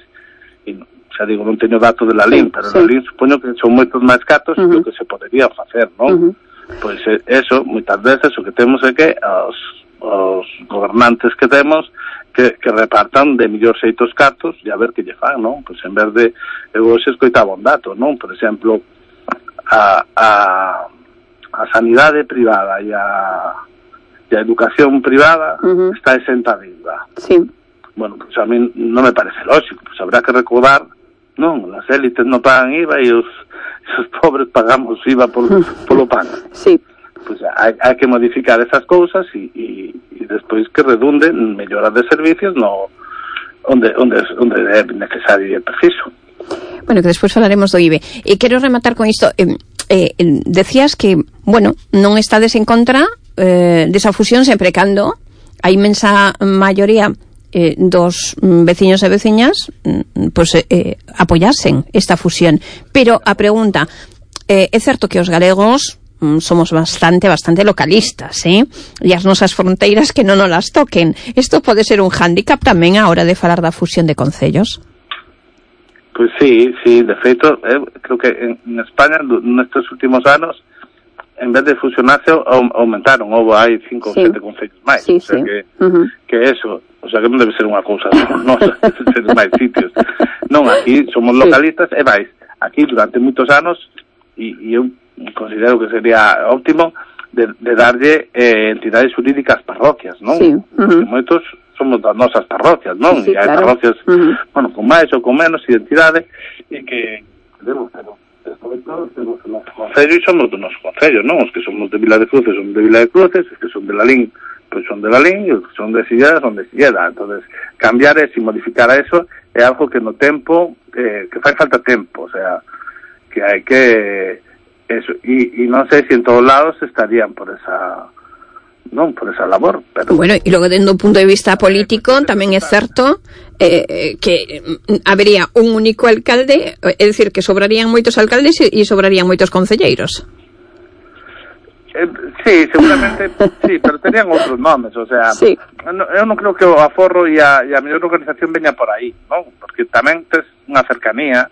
E xa digo, non teño dato de Lalín, sí, pero sí. Lalín supoño que son moitos máis cartos uh-huh. do que se podería facer, non? Uh-huh. Pois eso, moitas veces o que temos é que os, os gobernantes que temos que, que repartan de millor xeitos cartos e a ver que lle fan, non? Pois en vez de, eu hoxe escoitaba un dato, non? Por exemplo, a, a, a sanidade privada e a, e a educación privada uh-huh. está exenta de I V A. Sí. Bueno, pues a mí non me parece lógico, pues habrá que recordar, non, as élites non pagan I V A e os, os pobres pagamos I V A por, polo pan. Sí. Pues hai, hai que modificar esas cousas e, e, e despois que redunde en melloras de servicios no onde, onde, onde é necesario e preciso. Bueno, que despois falaremos do I V A. E quero rematar con isto. Eh, eh, decías que, bueno, non estades en contra eh, desa fusión sempre cando a inmensa maioría Eh, dos mm, veciños e veciñas mm, pues, eh, apoyasen esta fusión. Pero a pregunta, eh, é certo que os galegos somos bastante, bastante localistas, ¿eh? E as nosas fronteiras que non nos las toquen. Isto pode ser un hándicap tamén a hora de falar da fusión de concellos? Pois pues sí, sí, de feito, eh, creo que en, en España nestes últimos anos, en vez de fusionarse, aumentaron, houve hai cinco ou sete concellos máis, sí, o sea sí. que, Uh-huh. que eso, o sea que non debe ser unha cousa nosa, debe ser máis sitios. Non, aquí somos localistas, sí. E máis, aquí durante moitos anos, e, e eu considero que sería óptimo, de, de darlle eh, entidades jurídicas parroquias, non? Sí. Uh-huh. Porque moitos somos das nosas parroquias, non? Sí, sí, e hai claro. parroquias, Uh-huh. bueno, con máis ou con menos identidade, e que debemos, pero sobre todo temos o noso concello e somos do noso concello, non? Os que somos de Vila de Cruces son de Vila de Cruces, os que son de Lalín pois son de Lalín, e os que son de Silleda son de Silleda. Entonces, cambiar eso e modificar a eso é algo que no tempo, eh, que fai falta tempo, o sea, que hai que eso, e, e non sei se en todos lados estarían por esa non por esa labor, pero bueno, e logo dende un punto de vista político tamén é certo eh, que habería un único alcalde, é dicir, que sobrarían moitos alcaldes e, e sobrarían moitos concelleiros. Eh, sí, seguramente sí, pero tenían outros nomes, o sea, sí. no, eu non creo que o aforro e a, e a mellor organización veña por aí, non? Porque tamén tes unha cercanía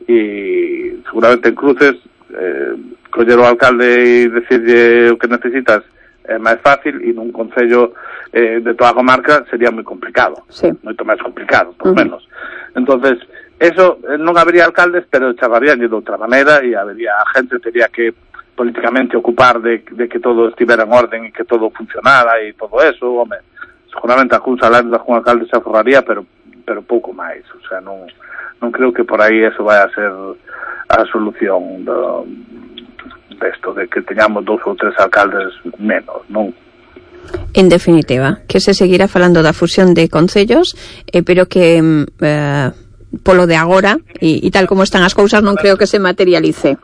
e seguramente en Cruces eh, coller o alcalde e decirlle o que necesitas é máis fácil, e nun concello eh, de toda a comarca sería moi complicado, sí. moito máis complicado, por Uh-huh. menos. Entonces, eso, eh, non habería alcaldes, pero chamarían de outra maneira, e habería, a gente teria que políticamente ocupar de, de que todo estivera en orden e que todo funcionara e todo eso, home, seguramente a cousa lá de un alcalde se aforraría, pero pero pouco máis, o sea, non non creo que por aí eso vai a ser a solución do desto, de que teñamos dous ou tres alcaldes menos, non? En definitiva, que se seguirá falando da fusión de concellos, eh, pero que eh, polo de agora e, e tal como están as cousas non creo que se materialice.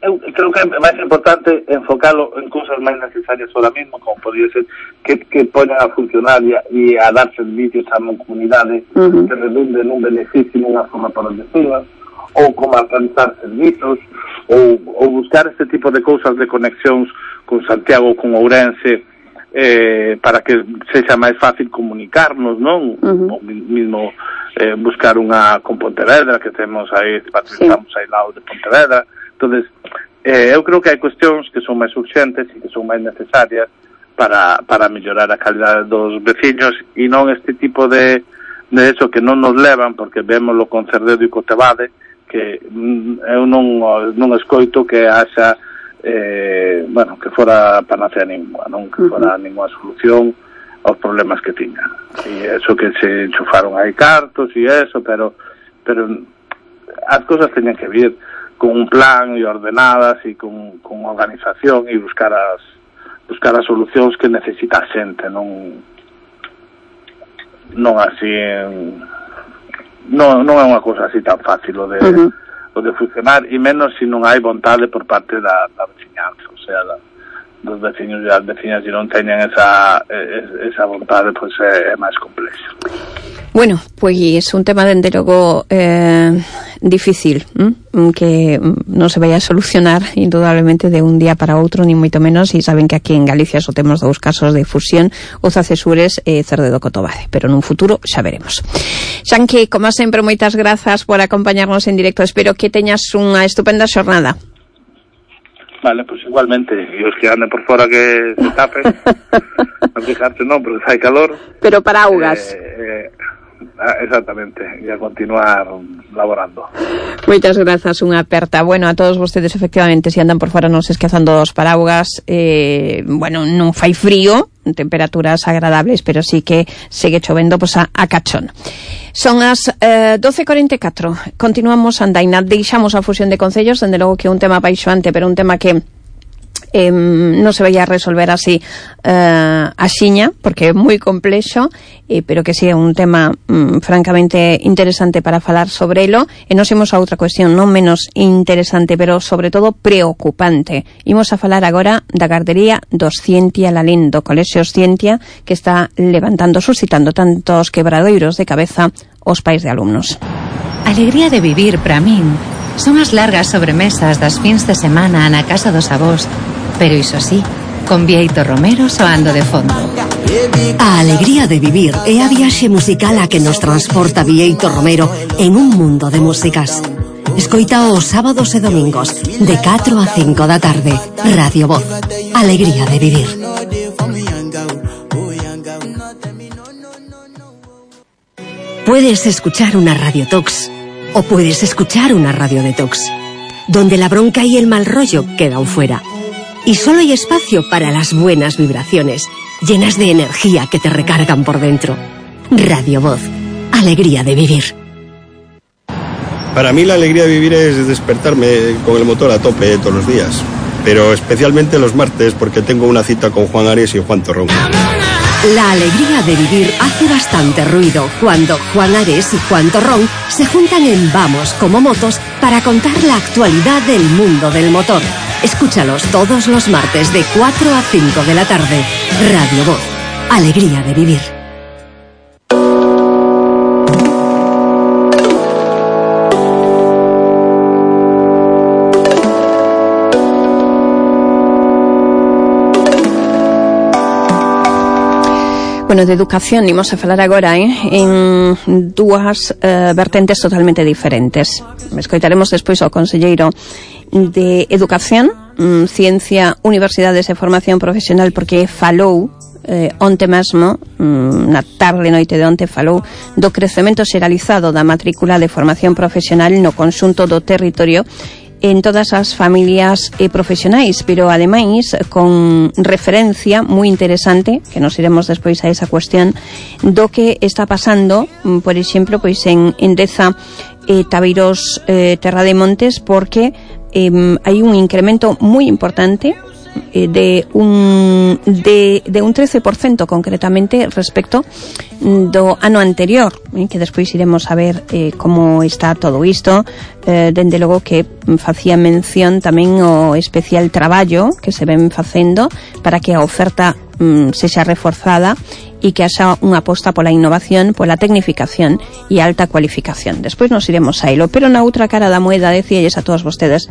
Eu creo que é máis importante enfocalo en cousas máis necesarias ahora mismo, como podría ser que, que poñan a funcionar e a, e a dar servicios a unha comunidade, uh-huh. que redunde nun beneficio nunha forma para os vecinos, ou como alcanzar servizos, ou, ou buscar este tipo de cousas de conexións con Santiago, con Ourense, eh, para que sexa máis fácil comunicarnos, non? Uh-huh. Ou mismo eh, buscar unha con Pontevedra, que temos aí, patrocinamos sí. aí lado de Pontevedra. Entonces, eh, eu creo que hai cuestións que son máis urgentes e que son máis necesarias para, para mellorar a calidade dos veciños, e non este tipo de, de eso que non nos levan, porque vémoslo con Cerdedo e Cotevade, que eu non, non escoito que haxa eh, bueno, que fora panacea ninguna, non que fora ninguna solución aos problemas que tiñan. E eso que se enchufaron aí cartos e eso, pero pero as cosas teñen que vir con un plan e ordenadas e con, con organización e buscar as buscar as solucións que necesita a xente, non non así en, non, non é unha cousa así tan fácil o de, uh-huh. o de funcionar, e menos se non hai vontade por parte da, da veciñanza, o sea, da, dos veciños e as veciñas, se non teñen esa, esa vontade, pois pues é, é máis complexo. Bueno, pois é un tema dende logo eh, difícil, ¿m? que non se vai a solucionar indudablemente de un día para outro, ni moito menos, e saben que aquí en Galicia só temos dous casos de fusión, Oza-Cesures e Cerdedo Cotobade, pero nun futuro xa veremos. Xanqui, como sempre, moitas grazas por acompañarnos en directo, espero que teñas unha estupenda xornada. Vale, pues igualmente, e os que anden por fora que se tapen, non fijarse non, porque hai calor. Pero para augas. Eh, eh, exactamente, e a continuar laborando. Moitas grazas, unha aperta. Bueno, a todos vostedes, efectivamente, se andan por fora non se esquezando dos paraugas, eh, bueno, non fai frío, temperaturas agradables, pero sí que segue chovendo pois, a, a cachón. Son as eh, doce e corenta e catro. Continuamos andaina, deixamos a fusión de concellos, dende logo que é un tema apaixoante, pero un tema que eh, non se vai a resolver así eh, axiña, porque é moi complexo, eh, pero que sí é un tema mm, francamente interesante para falar sobre elo. E nos imos a outra cuestión non menos interesante, pero sobre todo preocupante. Imos a falar agora da gardería do Scientia Lalín, do Colexio Scientia, que está levantando, suscitando tantos quebradoiros de cabeza aos pais de alumnos. Alegría de vivir para min son as largas sobremesas das fins de semana na casa dos avós, pero iso sí, con Bieito Romero soando de fondo. A alegría de vivir é a viaxe musical a que nos transporta Bieito Romero en un mundo de músicas. Escoita os sábados e domingos de catro a cinco da tarde. Radio Voz, alegría de vivir. Puedes escuchar una Radio Tox o puedes escuchar una Radio Detox, donde la bronca y el mal rollo quedan fuera. Y solo hay espacio para las buenas vibraciones, llenas de energía que te recargan por dentro. Radio Voz, alegría de vivir. Para mí la alegría de vivir es despertarme con el motor a tope todos los días, pero especialmente los martes porque tengo una cita con Juan Ares y Juan Torrón. La alegría de vivir hace bastante ruido cuando Juan Ares y Juan Torrón se juntan en Vamos como Motos para contar la actualidad del mundo del motor. Escúchalos todos los martes de cuatro a cinco de la tarde. Radio Voz, alegría de vivir. Bueno, de educación imos a falar agora eh, en dúas eh, vertentes totalmente diferentes. Escoitaremos despois ao conselleiro de Educación, mm, Ciencia, Universidades e Formación Profesional, porque falou eh, onte mesmo, mm, na tarde noite de onte, falou do crecemento xeralizado da matrícula de formación profesional no conxunto do territorio en todas as familias e profesionais, pero ademais con referencia moi interesante, que nos iremos despois a esa cuestión, do que está pasando, por exemplo, pois en Endeza e Tabeiros eh, Terra de Montes, porque eh, hai un incremento moi importante eh, de un de, de un trece por cento concretamente respecto do ano anterior, eh, que despois iremos a ver eh, como está todo isto. Eh, dende logo que facía mención tamén o especial traballo que se ven facendo para que a oferta mm, sexa reforzada e que haxa unha aposta pola innovación, pola tecnificación e alta cualificación. Despois nos iremos a elo, pero na outra cara da moeda decíalles a todos vostedes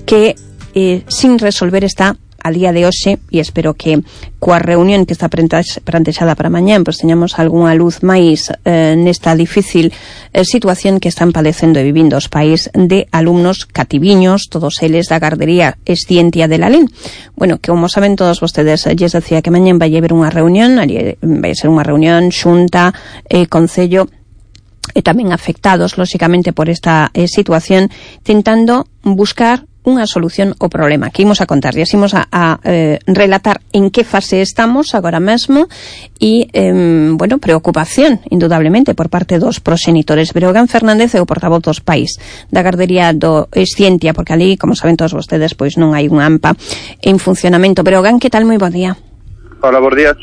que eh, sin resolver está a día de hoxe, e espero que coa reunión que está plantexada para mañán pois teñamos algunha luz máis eh, nesta difícil eh, situación que están padecendo e vivindo os pais de alumnos cativiños, todos eles da gardería Escientia de Lalín. Bueno, que como saben todos vostedes, lles decía que mañán vai haber unha reunión, vai ser unha reunión xunta, eh, concello e tamén afectados, lóxicamente, por esta eh, situación, tentando buscar unha solución ao problema que imos a contar. E imos a, a eh, relatar en que fase estamos agora mesmo e, eh, bueno, preocupación, indudablemente, por parte dos proxenitores. Breogán Fernández é o portavoz dos pais da gardería do Escientia, porque ali, como saben todos vostedes, pois non hai un AMPA en funcionamento. Breogán, que tal? Moi bo día. Hola, bons días.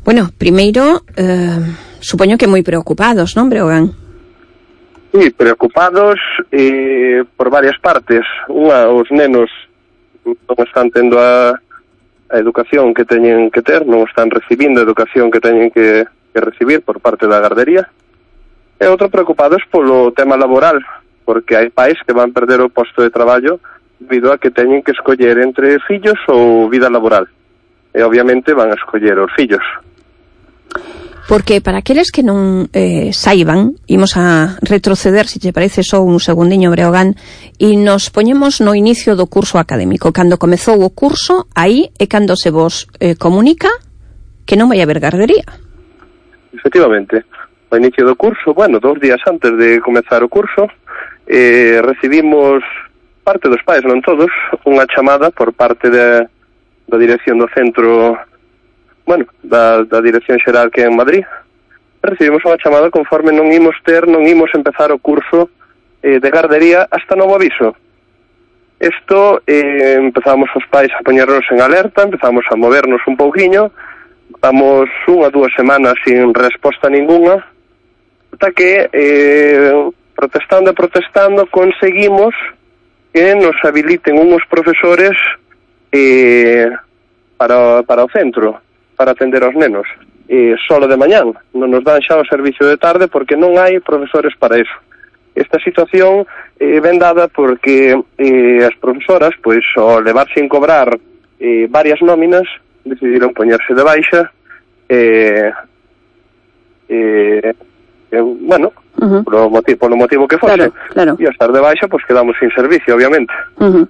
Bueno, primeiro, eh, supoño que moi preocupados, non, Breogán? Sí, preocupados eh, por varias partes. Unha, os nenos non están tendo a, a educación que teñen que ter, non están recibindo a educación que teñen que, que recibir por parte da gardería. E outro, preocupados polo tema laboral, porque hai pais que van perder o posto de traballo debido a que teñen que escoller entre fillos ou vida laboral. E obviamente van a escoller os fillos. Porque para aqueles que non eh, saiban, imos a retroceder, se te parece só un segundiño, Breogán, e nos poñemos no inicio do curso académico. Cando comezou o curso, aí é cando se vos eh, comunica que non vai haber gardería. Efectivamente. O inicio do curso, bueno, dos días antes de comezar o curso, eh, recibimos parte dos pais, non todos, unha chamada por parte de, da dirección do centro, bueno, da, da Dirección Xeral que é en Madrid. Recibimos unha chamada conforme non imos ter, non imos empezar o curso eh, de gardería hasta novo aviso. Isto, eh, empezamos os pais a poñernos en alerta, empezamos a movernos un pouquiño, damos unha, dúas semanas sin resposta ninguna, ata que, eh, protestando e protestando, conseguimos que nos habiliten unhos profesores eh, para, para o centro, para atender aos nenos, e solo de mañán, non nos dan xa o servicio de tarde porque non hai profesores para eso. Esta situación eh, ven dada porque eh, as profesoras, pois, ao levar sin cobrar eh, varias nóminas, decidiron poñerse de baixa eh, eh, eh, bueno, uh-huh. polo, motivo, polo motivo que fose, claro, claro. E ao estar de baixa, pois quedamos sin servicio, obviamente. Uh-huh.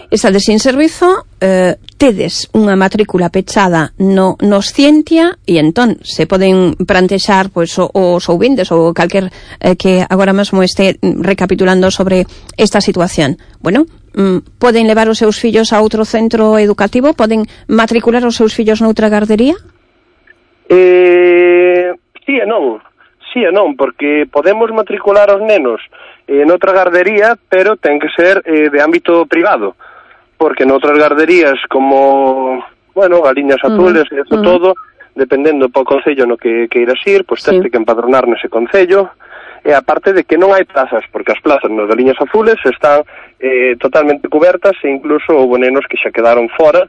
Estades sin servizo, eh, tedes unha matrícula pechada no, no Scientia, e entón se poden plantexar pois, os ouvintes ou calquer eh, que agora mesmo este recapitulando sobre esta situación. Bueno, mm, poden levar os seus fillos a outro centro educativo? Poden matricular os seus fillos noutra gardería? Eh, sí e non. Sí e non, porque podemos matricular os nenos en outra gardería, pero ten que ser eh, de ámbito privado, porque noutras garderías como, bueno, Galiñas Azules uh-huh. e eso uh-huh. todo, dependendo po concello no que queiras ir, pois tens sí. que empadronar nese concello, e aparte de que non hai plazas, porque as plazas nos Galiñas Azules están eh, totalmente cubertas, e incluso houve nenos que xa quedaron fora,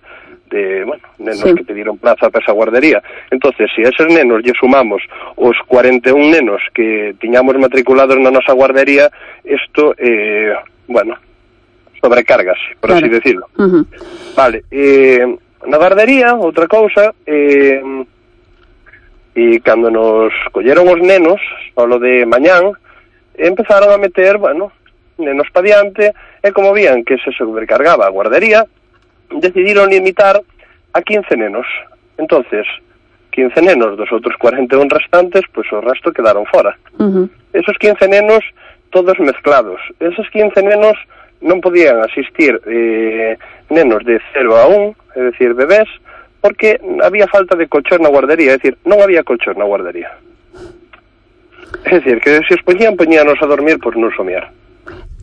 de, bueno, nenos sí. que pediron plaza para esa guardería. Entonces, se si a esos nenos lle sumamos os cuarenta e un nenos que tiñamos matriculados na nosa guardería, isto, eh, bueno, sobrecargas, por claro. así decirlo. Uh-huh. Vale, eh, na guardería, outra cousa, eh, e cando nos colleron os nenos, solo de mañán, empezaron a meter, bueno, nenos pa diante, e como vían que se sobrecargaba a guardería, decidiron limitar a quince nenos. Entonces, quince nenos dos outros cuarenta e un restantes, pois o resto quedaron fora. Uh-huh. Esos quince nenos, todos mezclados. Esos quince nenos non podían asistir eh, nenos de cero a un, é dicir, bebés, porque había falta de colchón na guardería, é dicir, non había colchón na guardería. É dicir, que se os poñían, poñíanos a dormir por non somiar.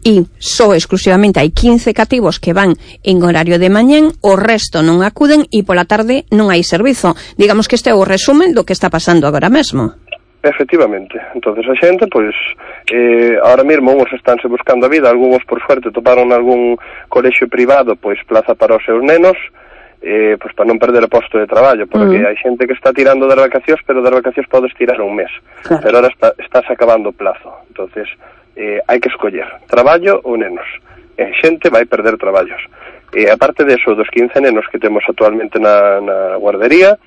E só exclusivamente hai quince cativos que van en horario de mañán, o resto non acuden e pola tarde non hai servizo. Digamos que este é o resumen do que está pasando agora mesmo. Efectivamente. Entonces a xente, pois, eh, ahora mesmo uns estánse buscando a vida, algúns por suerte toparon algún colexio privado, pois plaza para os seus nenos, eh, pois para non perder o posto de traballo, porque uh-huh. hai xente que está tirando das vacacións, pero das vacacións podes tirar un mes. Claro. Pero ahora está, estás acabando o plazo. Entonces, eh, hai que escoller traballo ou nenos. E xente vai perder traballos. E aparte de eso, dos quince nenos que temos actualmente na, na guardería,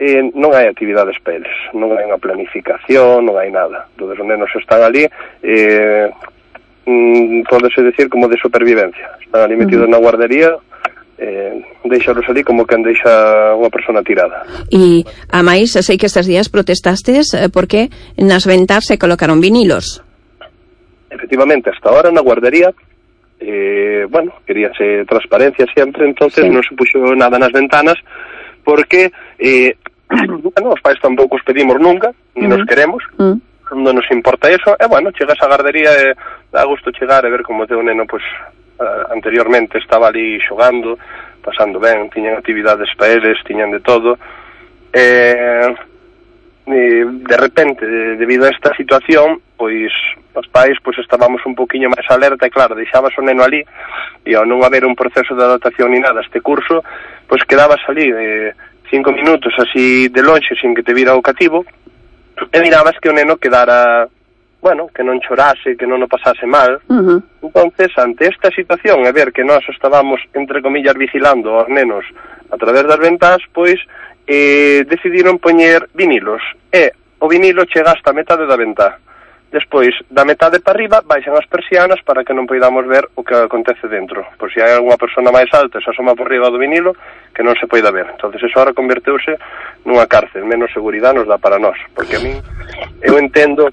eh, non hai actividades para eles, non hai unha planificación, non hai nada. Todos os nenos están ali, eh, mm, podese decir como de supervivencia. Están ali metidos uh-huh. na guardería, eh, deixaros ali como quen deixa unha persona tirada. E, a máis, sei que estes días protestastes eh, porque nas ventas se colocaron vinilos. Efectivamente, hasta ahora na guardería, eh, bueno, queríase transparencia sempre, entonces sí. non se puxo nada nas ventanas, porque, eh, bueno, os pais tampouco os pedimos nunca, ni uh-huh. nos queremos, uh-huh. non nos importa eso, e bueno, chegas á guardería e dá gusto chegar e ver como teu neno, pues, uh, anteriormente estaba ali xogando, pasando ben, tiñan actividades para eles, tiñan de todo, e... Eh, de repente, de, debido a esta situación, pois os pais pois estábamos un poquinho máis alerta e claro, deixabas o neno ali e ao non haber un proceso de adaptación ni nada a este curso, pois quedabas ali eh, cinco minutos así de lonxe sin que te vira o cativo e mirabas que o neno quedara, bueno, que non chorase, que non o pasase mal. Uh-huh. Entonces, ante esta situación e ver que nós estábamos, entre comillas, vigilando aos nenos a través das ventas, pois eh, decidiron poñer vinilos e o vinilo chega hasta a metade da ventá. Despois, da metade para arriba, baixan as persianas para que non poidamos ver o que acontece dentro. Por se hai alguna persona máis alta e se asoma por riba do vinilo, que non se poida ver. Entonces, eso ahora converteuse nunha cárcel. Menos seguridade nos dá para nós. Porque a mí, eu entendo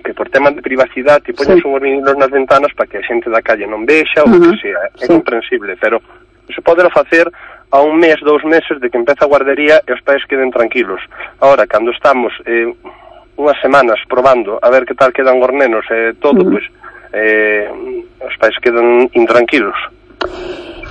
que por temas de privacidade te poñes sí. unhos vinilos nas ventanas para que a xente da calle non vexa ou uh-huh. que sea. É sí. comprensible, pero se pode facer a un mes, dous meses de que empeza a guardería e os pais queden tranquilos. Ahora, cando estamos eh, unhas semanas probando a ver que tal quedan os nenos e eh, todo, uh-huh. pois eh, os pais quedan intranquilos.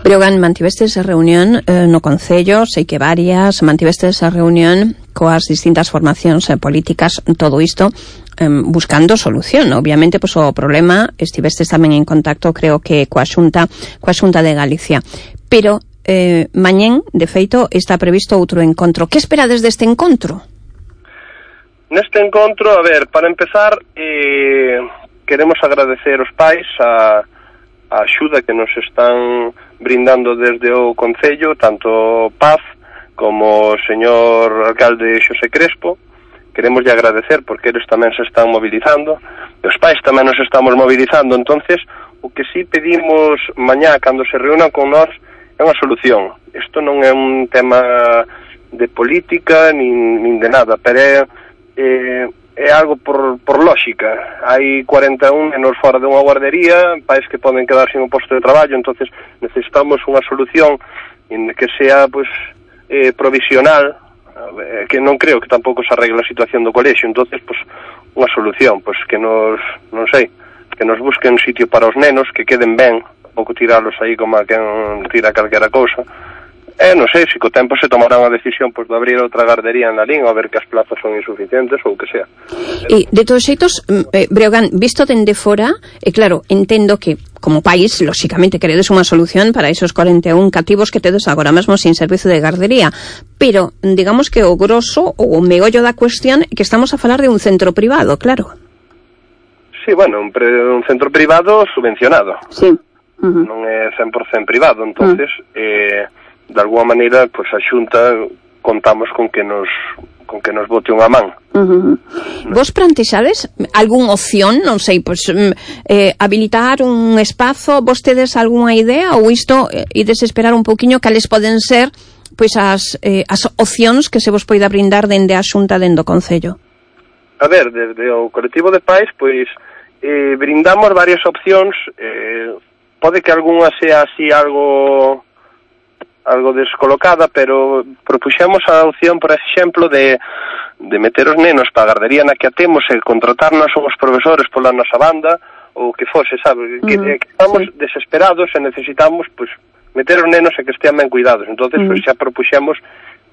Breogán, mantivestes a reunión eh, no Concello, sei que varias, mantivestes a reunión coas distintas formacións eh, políticas, todo isto eh, buscando solución. Obviamente, pois o problema, estivestes tamén en contacto, creo que coa Xunta, coa Xunta de Galicia. Pero eh, mañén, de feito, está previsto outro encontro. Que esperades deste encontro? Neste encontro, a ver, para empezar, eh, queremos agradecer aos pais a, a axuda que nos están brindando desde o Concello, tanto Paz como o señor alcalde Xosé Crespo. Queremos lle agradecer porque eles tamén se están mobilizando, e os pais tamén nos estamos mobilizando. Entonces, o que sí pedimos mañá cando se reúnan con nós é unha solución. Isto non é un tema de política nin, nin de nada, pero é, é, é algo por, por lógica. Hai cuarenta e un nenos fora dunha guardería, pais que poden quedar sin un posto de traballo, entonces necesitamos unha solución en que sea pues, eh, provisional, que non creo que tampouco se arregle a situación do colexio. Entonces, pues, unha solución, pues, que nos, non sei, que nos busquen un sitio para os nenos, que queden ben, pouco tiralos aí como a quen tira calquera cousa. Eh, non sei, se co tempo se tomará unha decisión pues, de abrir outra gardería en Lalín, ou a ver que as plazas son insuficientes ou o que sea. E, de todos xeitos, eh, Breogán, visto dende fora, e eh, claro, entendo que como país, lóxicamente, queredes unha solución para esos cuarenta e un cativos que tedes agora mesmo sin servizo de gardería, pero digamos que o grosso ou o meollo da cuestión é que estamos a falar de un centro privado, claro. Sí, bueno, un, pre, un centro privado subvencionado. Sí. Uh-huh. Non é cen por cento privado, entonces uh-huh. eh, de alguma maneira, pois pues, a Xunta contamos con que nos con que nos bote unha man. Uh-huh. No. Vos plantexades algún opción, non sei, pois pues, eh, habilitar un espazo, vos tedes algunha idea ou isto eh, e desesperar un poquinho cales poden ser pois as eh, as opcións que se vos poida brindar dende a Xunta dende o Concello? A ver, desde o colectivo de pais, pois eh, brindamos varias opcións, eh, pode que algunha sea así algo algo descolocada, pero propuxemos a opción, por exemplo, de, de meter os nenos para a gardería na que atemos e contratarnos os profesores pola nosa banda, ou que fose, sabe? Que, uh-huh. que estamos sí. desesperados e necesitamos, pues, meter os nenos e que estean ben cuidados. Entonces, uh-huh. pues, xa propuxemos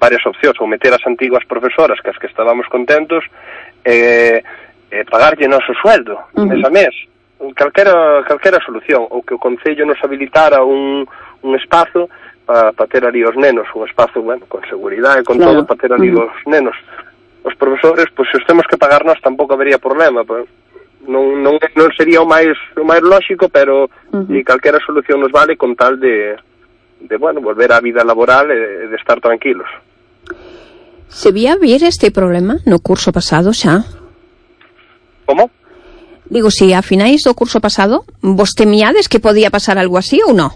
varias opcións, ou meter as antiguas profesoras, que as que estábamos contentos, e, e pagarlle noso sueldo, uh-huh. mes a mes. Calquera, calquera solución, ou que o Concello nos habilitara un, un espazo para pa ter ali os nenos, un espazo, bueno, con seguridade, con claro. todo, para ter ali uh-huh. os nenos. Os profesores, pois, pues, se os temos que pagar nós, tampouco habería problema, pues, non, non, non sería o máis o máis lóxico, pero uh-huh. e calquera solución nos vale con tal de, de bueno, volver á vida laboral e de estar tranquilos. Se vía vir este problema no curso pasado xa? Como? Digo, si a finais do curso pasado vos temíades que podía pasar algo así ou non?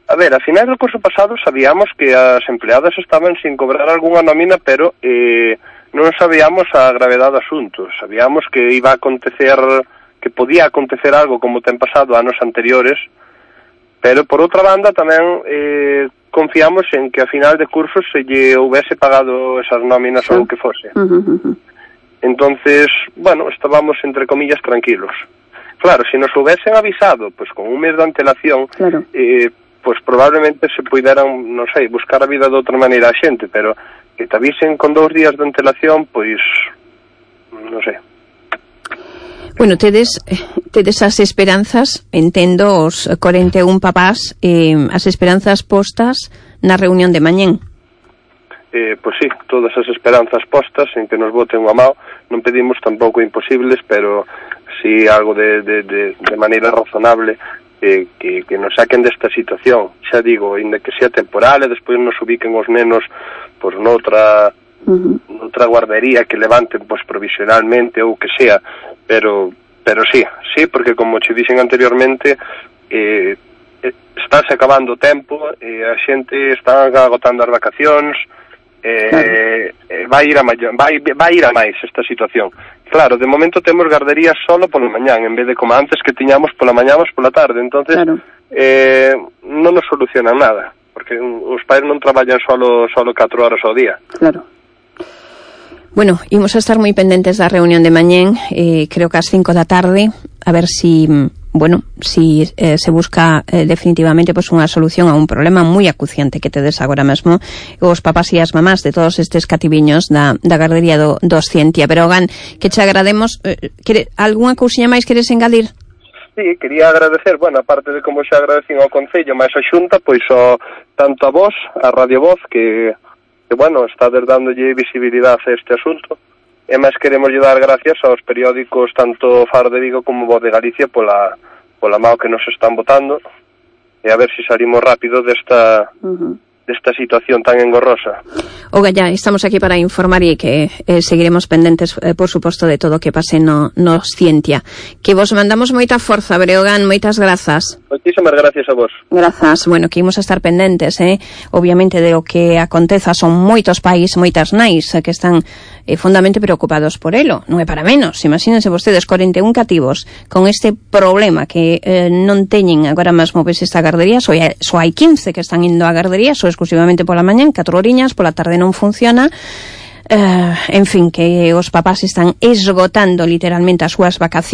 A ver, a finais do curso pasado sabíamos que as empleadas estaban sin cobrar algunha nómina, pero eh, non sabíamos a gravedade do asunto. Sabíamos que iba a acontecer, que podía acontecer algo como ten pasado anos anteriores, pero por outra banda tamén eh, confiamos en que a final de curso se lle houvese pagado esas nóminas sí. ou o que fose. Uh-huh, uh-huh. Entonces, bueno, estábamos entre comillas tranquilos. Claro, se nos houvesen avisado, pues con un mes de antelación, claro. eh, pues probablemente se puderan, non sei, buscar a vida de outra maneira a xente, pero que te avisen con dous días de antelación, pois, non sei. Bueno, tedes, tedes as esperanzas, entendo, os cuarenta e un papás, eh, as esperanzas postas na reunión de mañén. Eh, pois sí, todas as esperanzas postas en que nos boten unha mão. Non pedimos tampouco imposibles, pero sí algo de, de, de, de maneira razonable, eh, que, que nos saquen desta situación. Xa digo, inda que sea temporal e despois nos ubiquen os nenos pois noutra uh-huh. noutra guardería que levanten pois provisionalmente ou que sea, pero pero sí, sí, porque como che dixen anteriormente, eh, estáse acabando o tempo, e a xente está agotando as vacacións, eh, claro. eh, vai ir a mayor, vai, vai ir a máis esta situación. Claro, de momento temos garderías solo pola mañán, en vez de como antes que tiñamos pola mañán ou pola tarde, entonces claro. eh, non nos solucionan nada, porque os pais non traballan solo solo catro horas ao día. Claro. Bueno, imos a estar moi pendentes da reunión de mañén, eh, creo que ás cinco da tarde, a ver si, bueno, si eh, se busca eh, definitivamente pues, unha solución a un problema moi acuciante que tedes agora mesmo os papás e as mamás de todos estes cativiños da, da gardería do, do Oscientia. Pero, Gan, que che agrademos, eh, quere, algunha cousiña máis queres engadir? Sí, quería agradecer, bueno, aparte de como xa agradecen ao Concello, máis a Xunta, pois o, tanto a vos, a Radio Voz, que, que bueno, está dándolle visibilidade a este asunto, e máis queremos dar gracias aos periódicos tanto Faro de Vigo como Voz de Galicia pola, pola mao que nos están botando, e a ver se salimos rápido desta... Uh-huh. desta situación tan engorrosa. Oga, ya, estamos aquí para informar e que eh, seguiremos pendentes, eh, por suposto, de todo o que pase no, no Scientia. Que vos mandamos moita forza, Breogán, moitas grazas. Moitísimas gracias a vos. Grazas, bueno, que imos a estar pendentes, eh? Obviamente, de o que aconteza, son moitos pais, moitas nais, eh, que están eh, fundamente preocupados por elo. Non é para menos, imagínense vostedes, cuarenta e un cativos con este problema que eh, non teñen agora mesmo pois esta gardería, só hai, só hai quince que están indo á gardería, só exclusivamente pola mañá, catro horiñas, pola tarde non funciona. Uh, en fin, que os papás están esgotando literalmente as súas vacacións.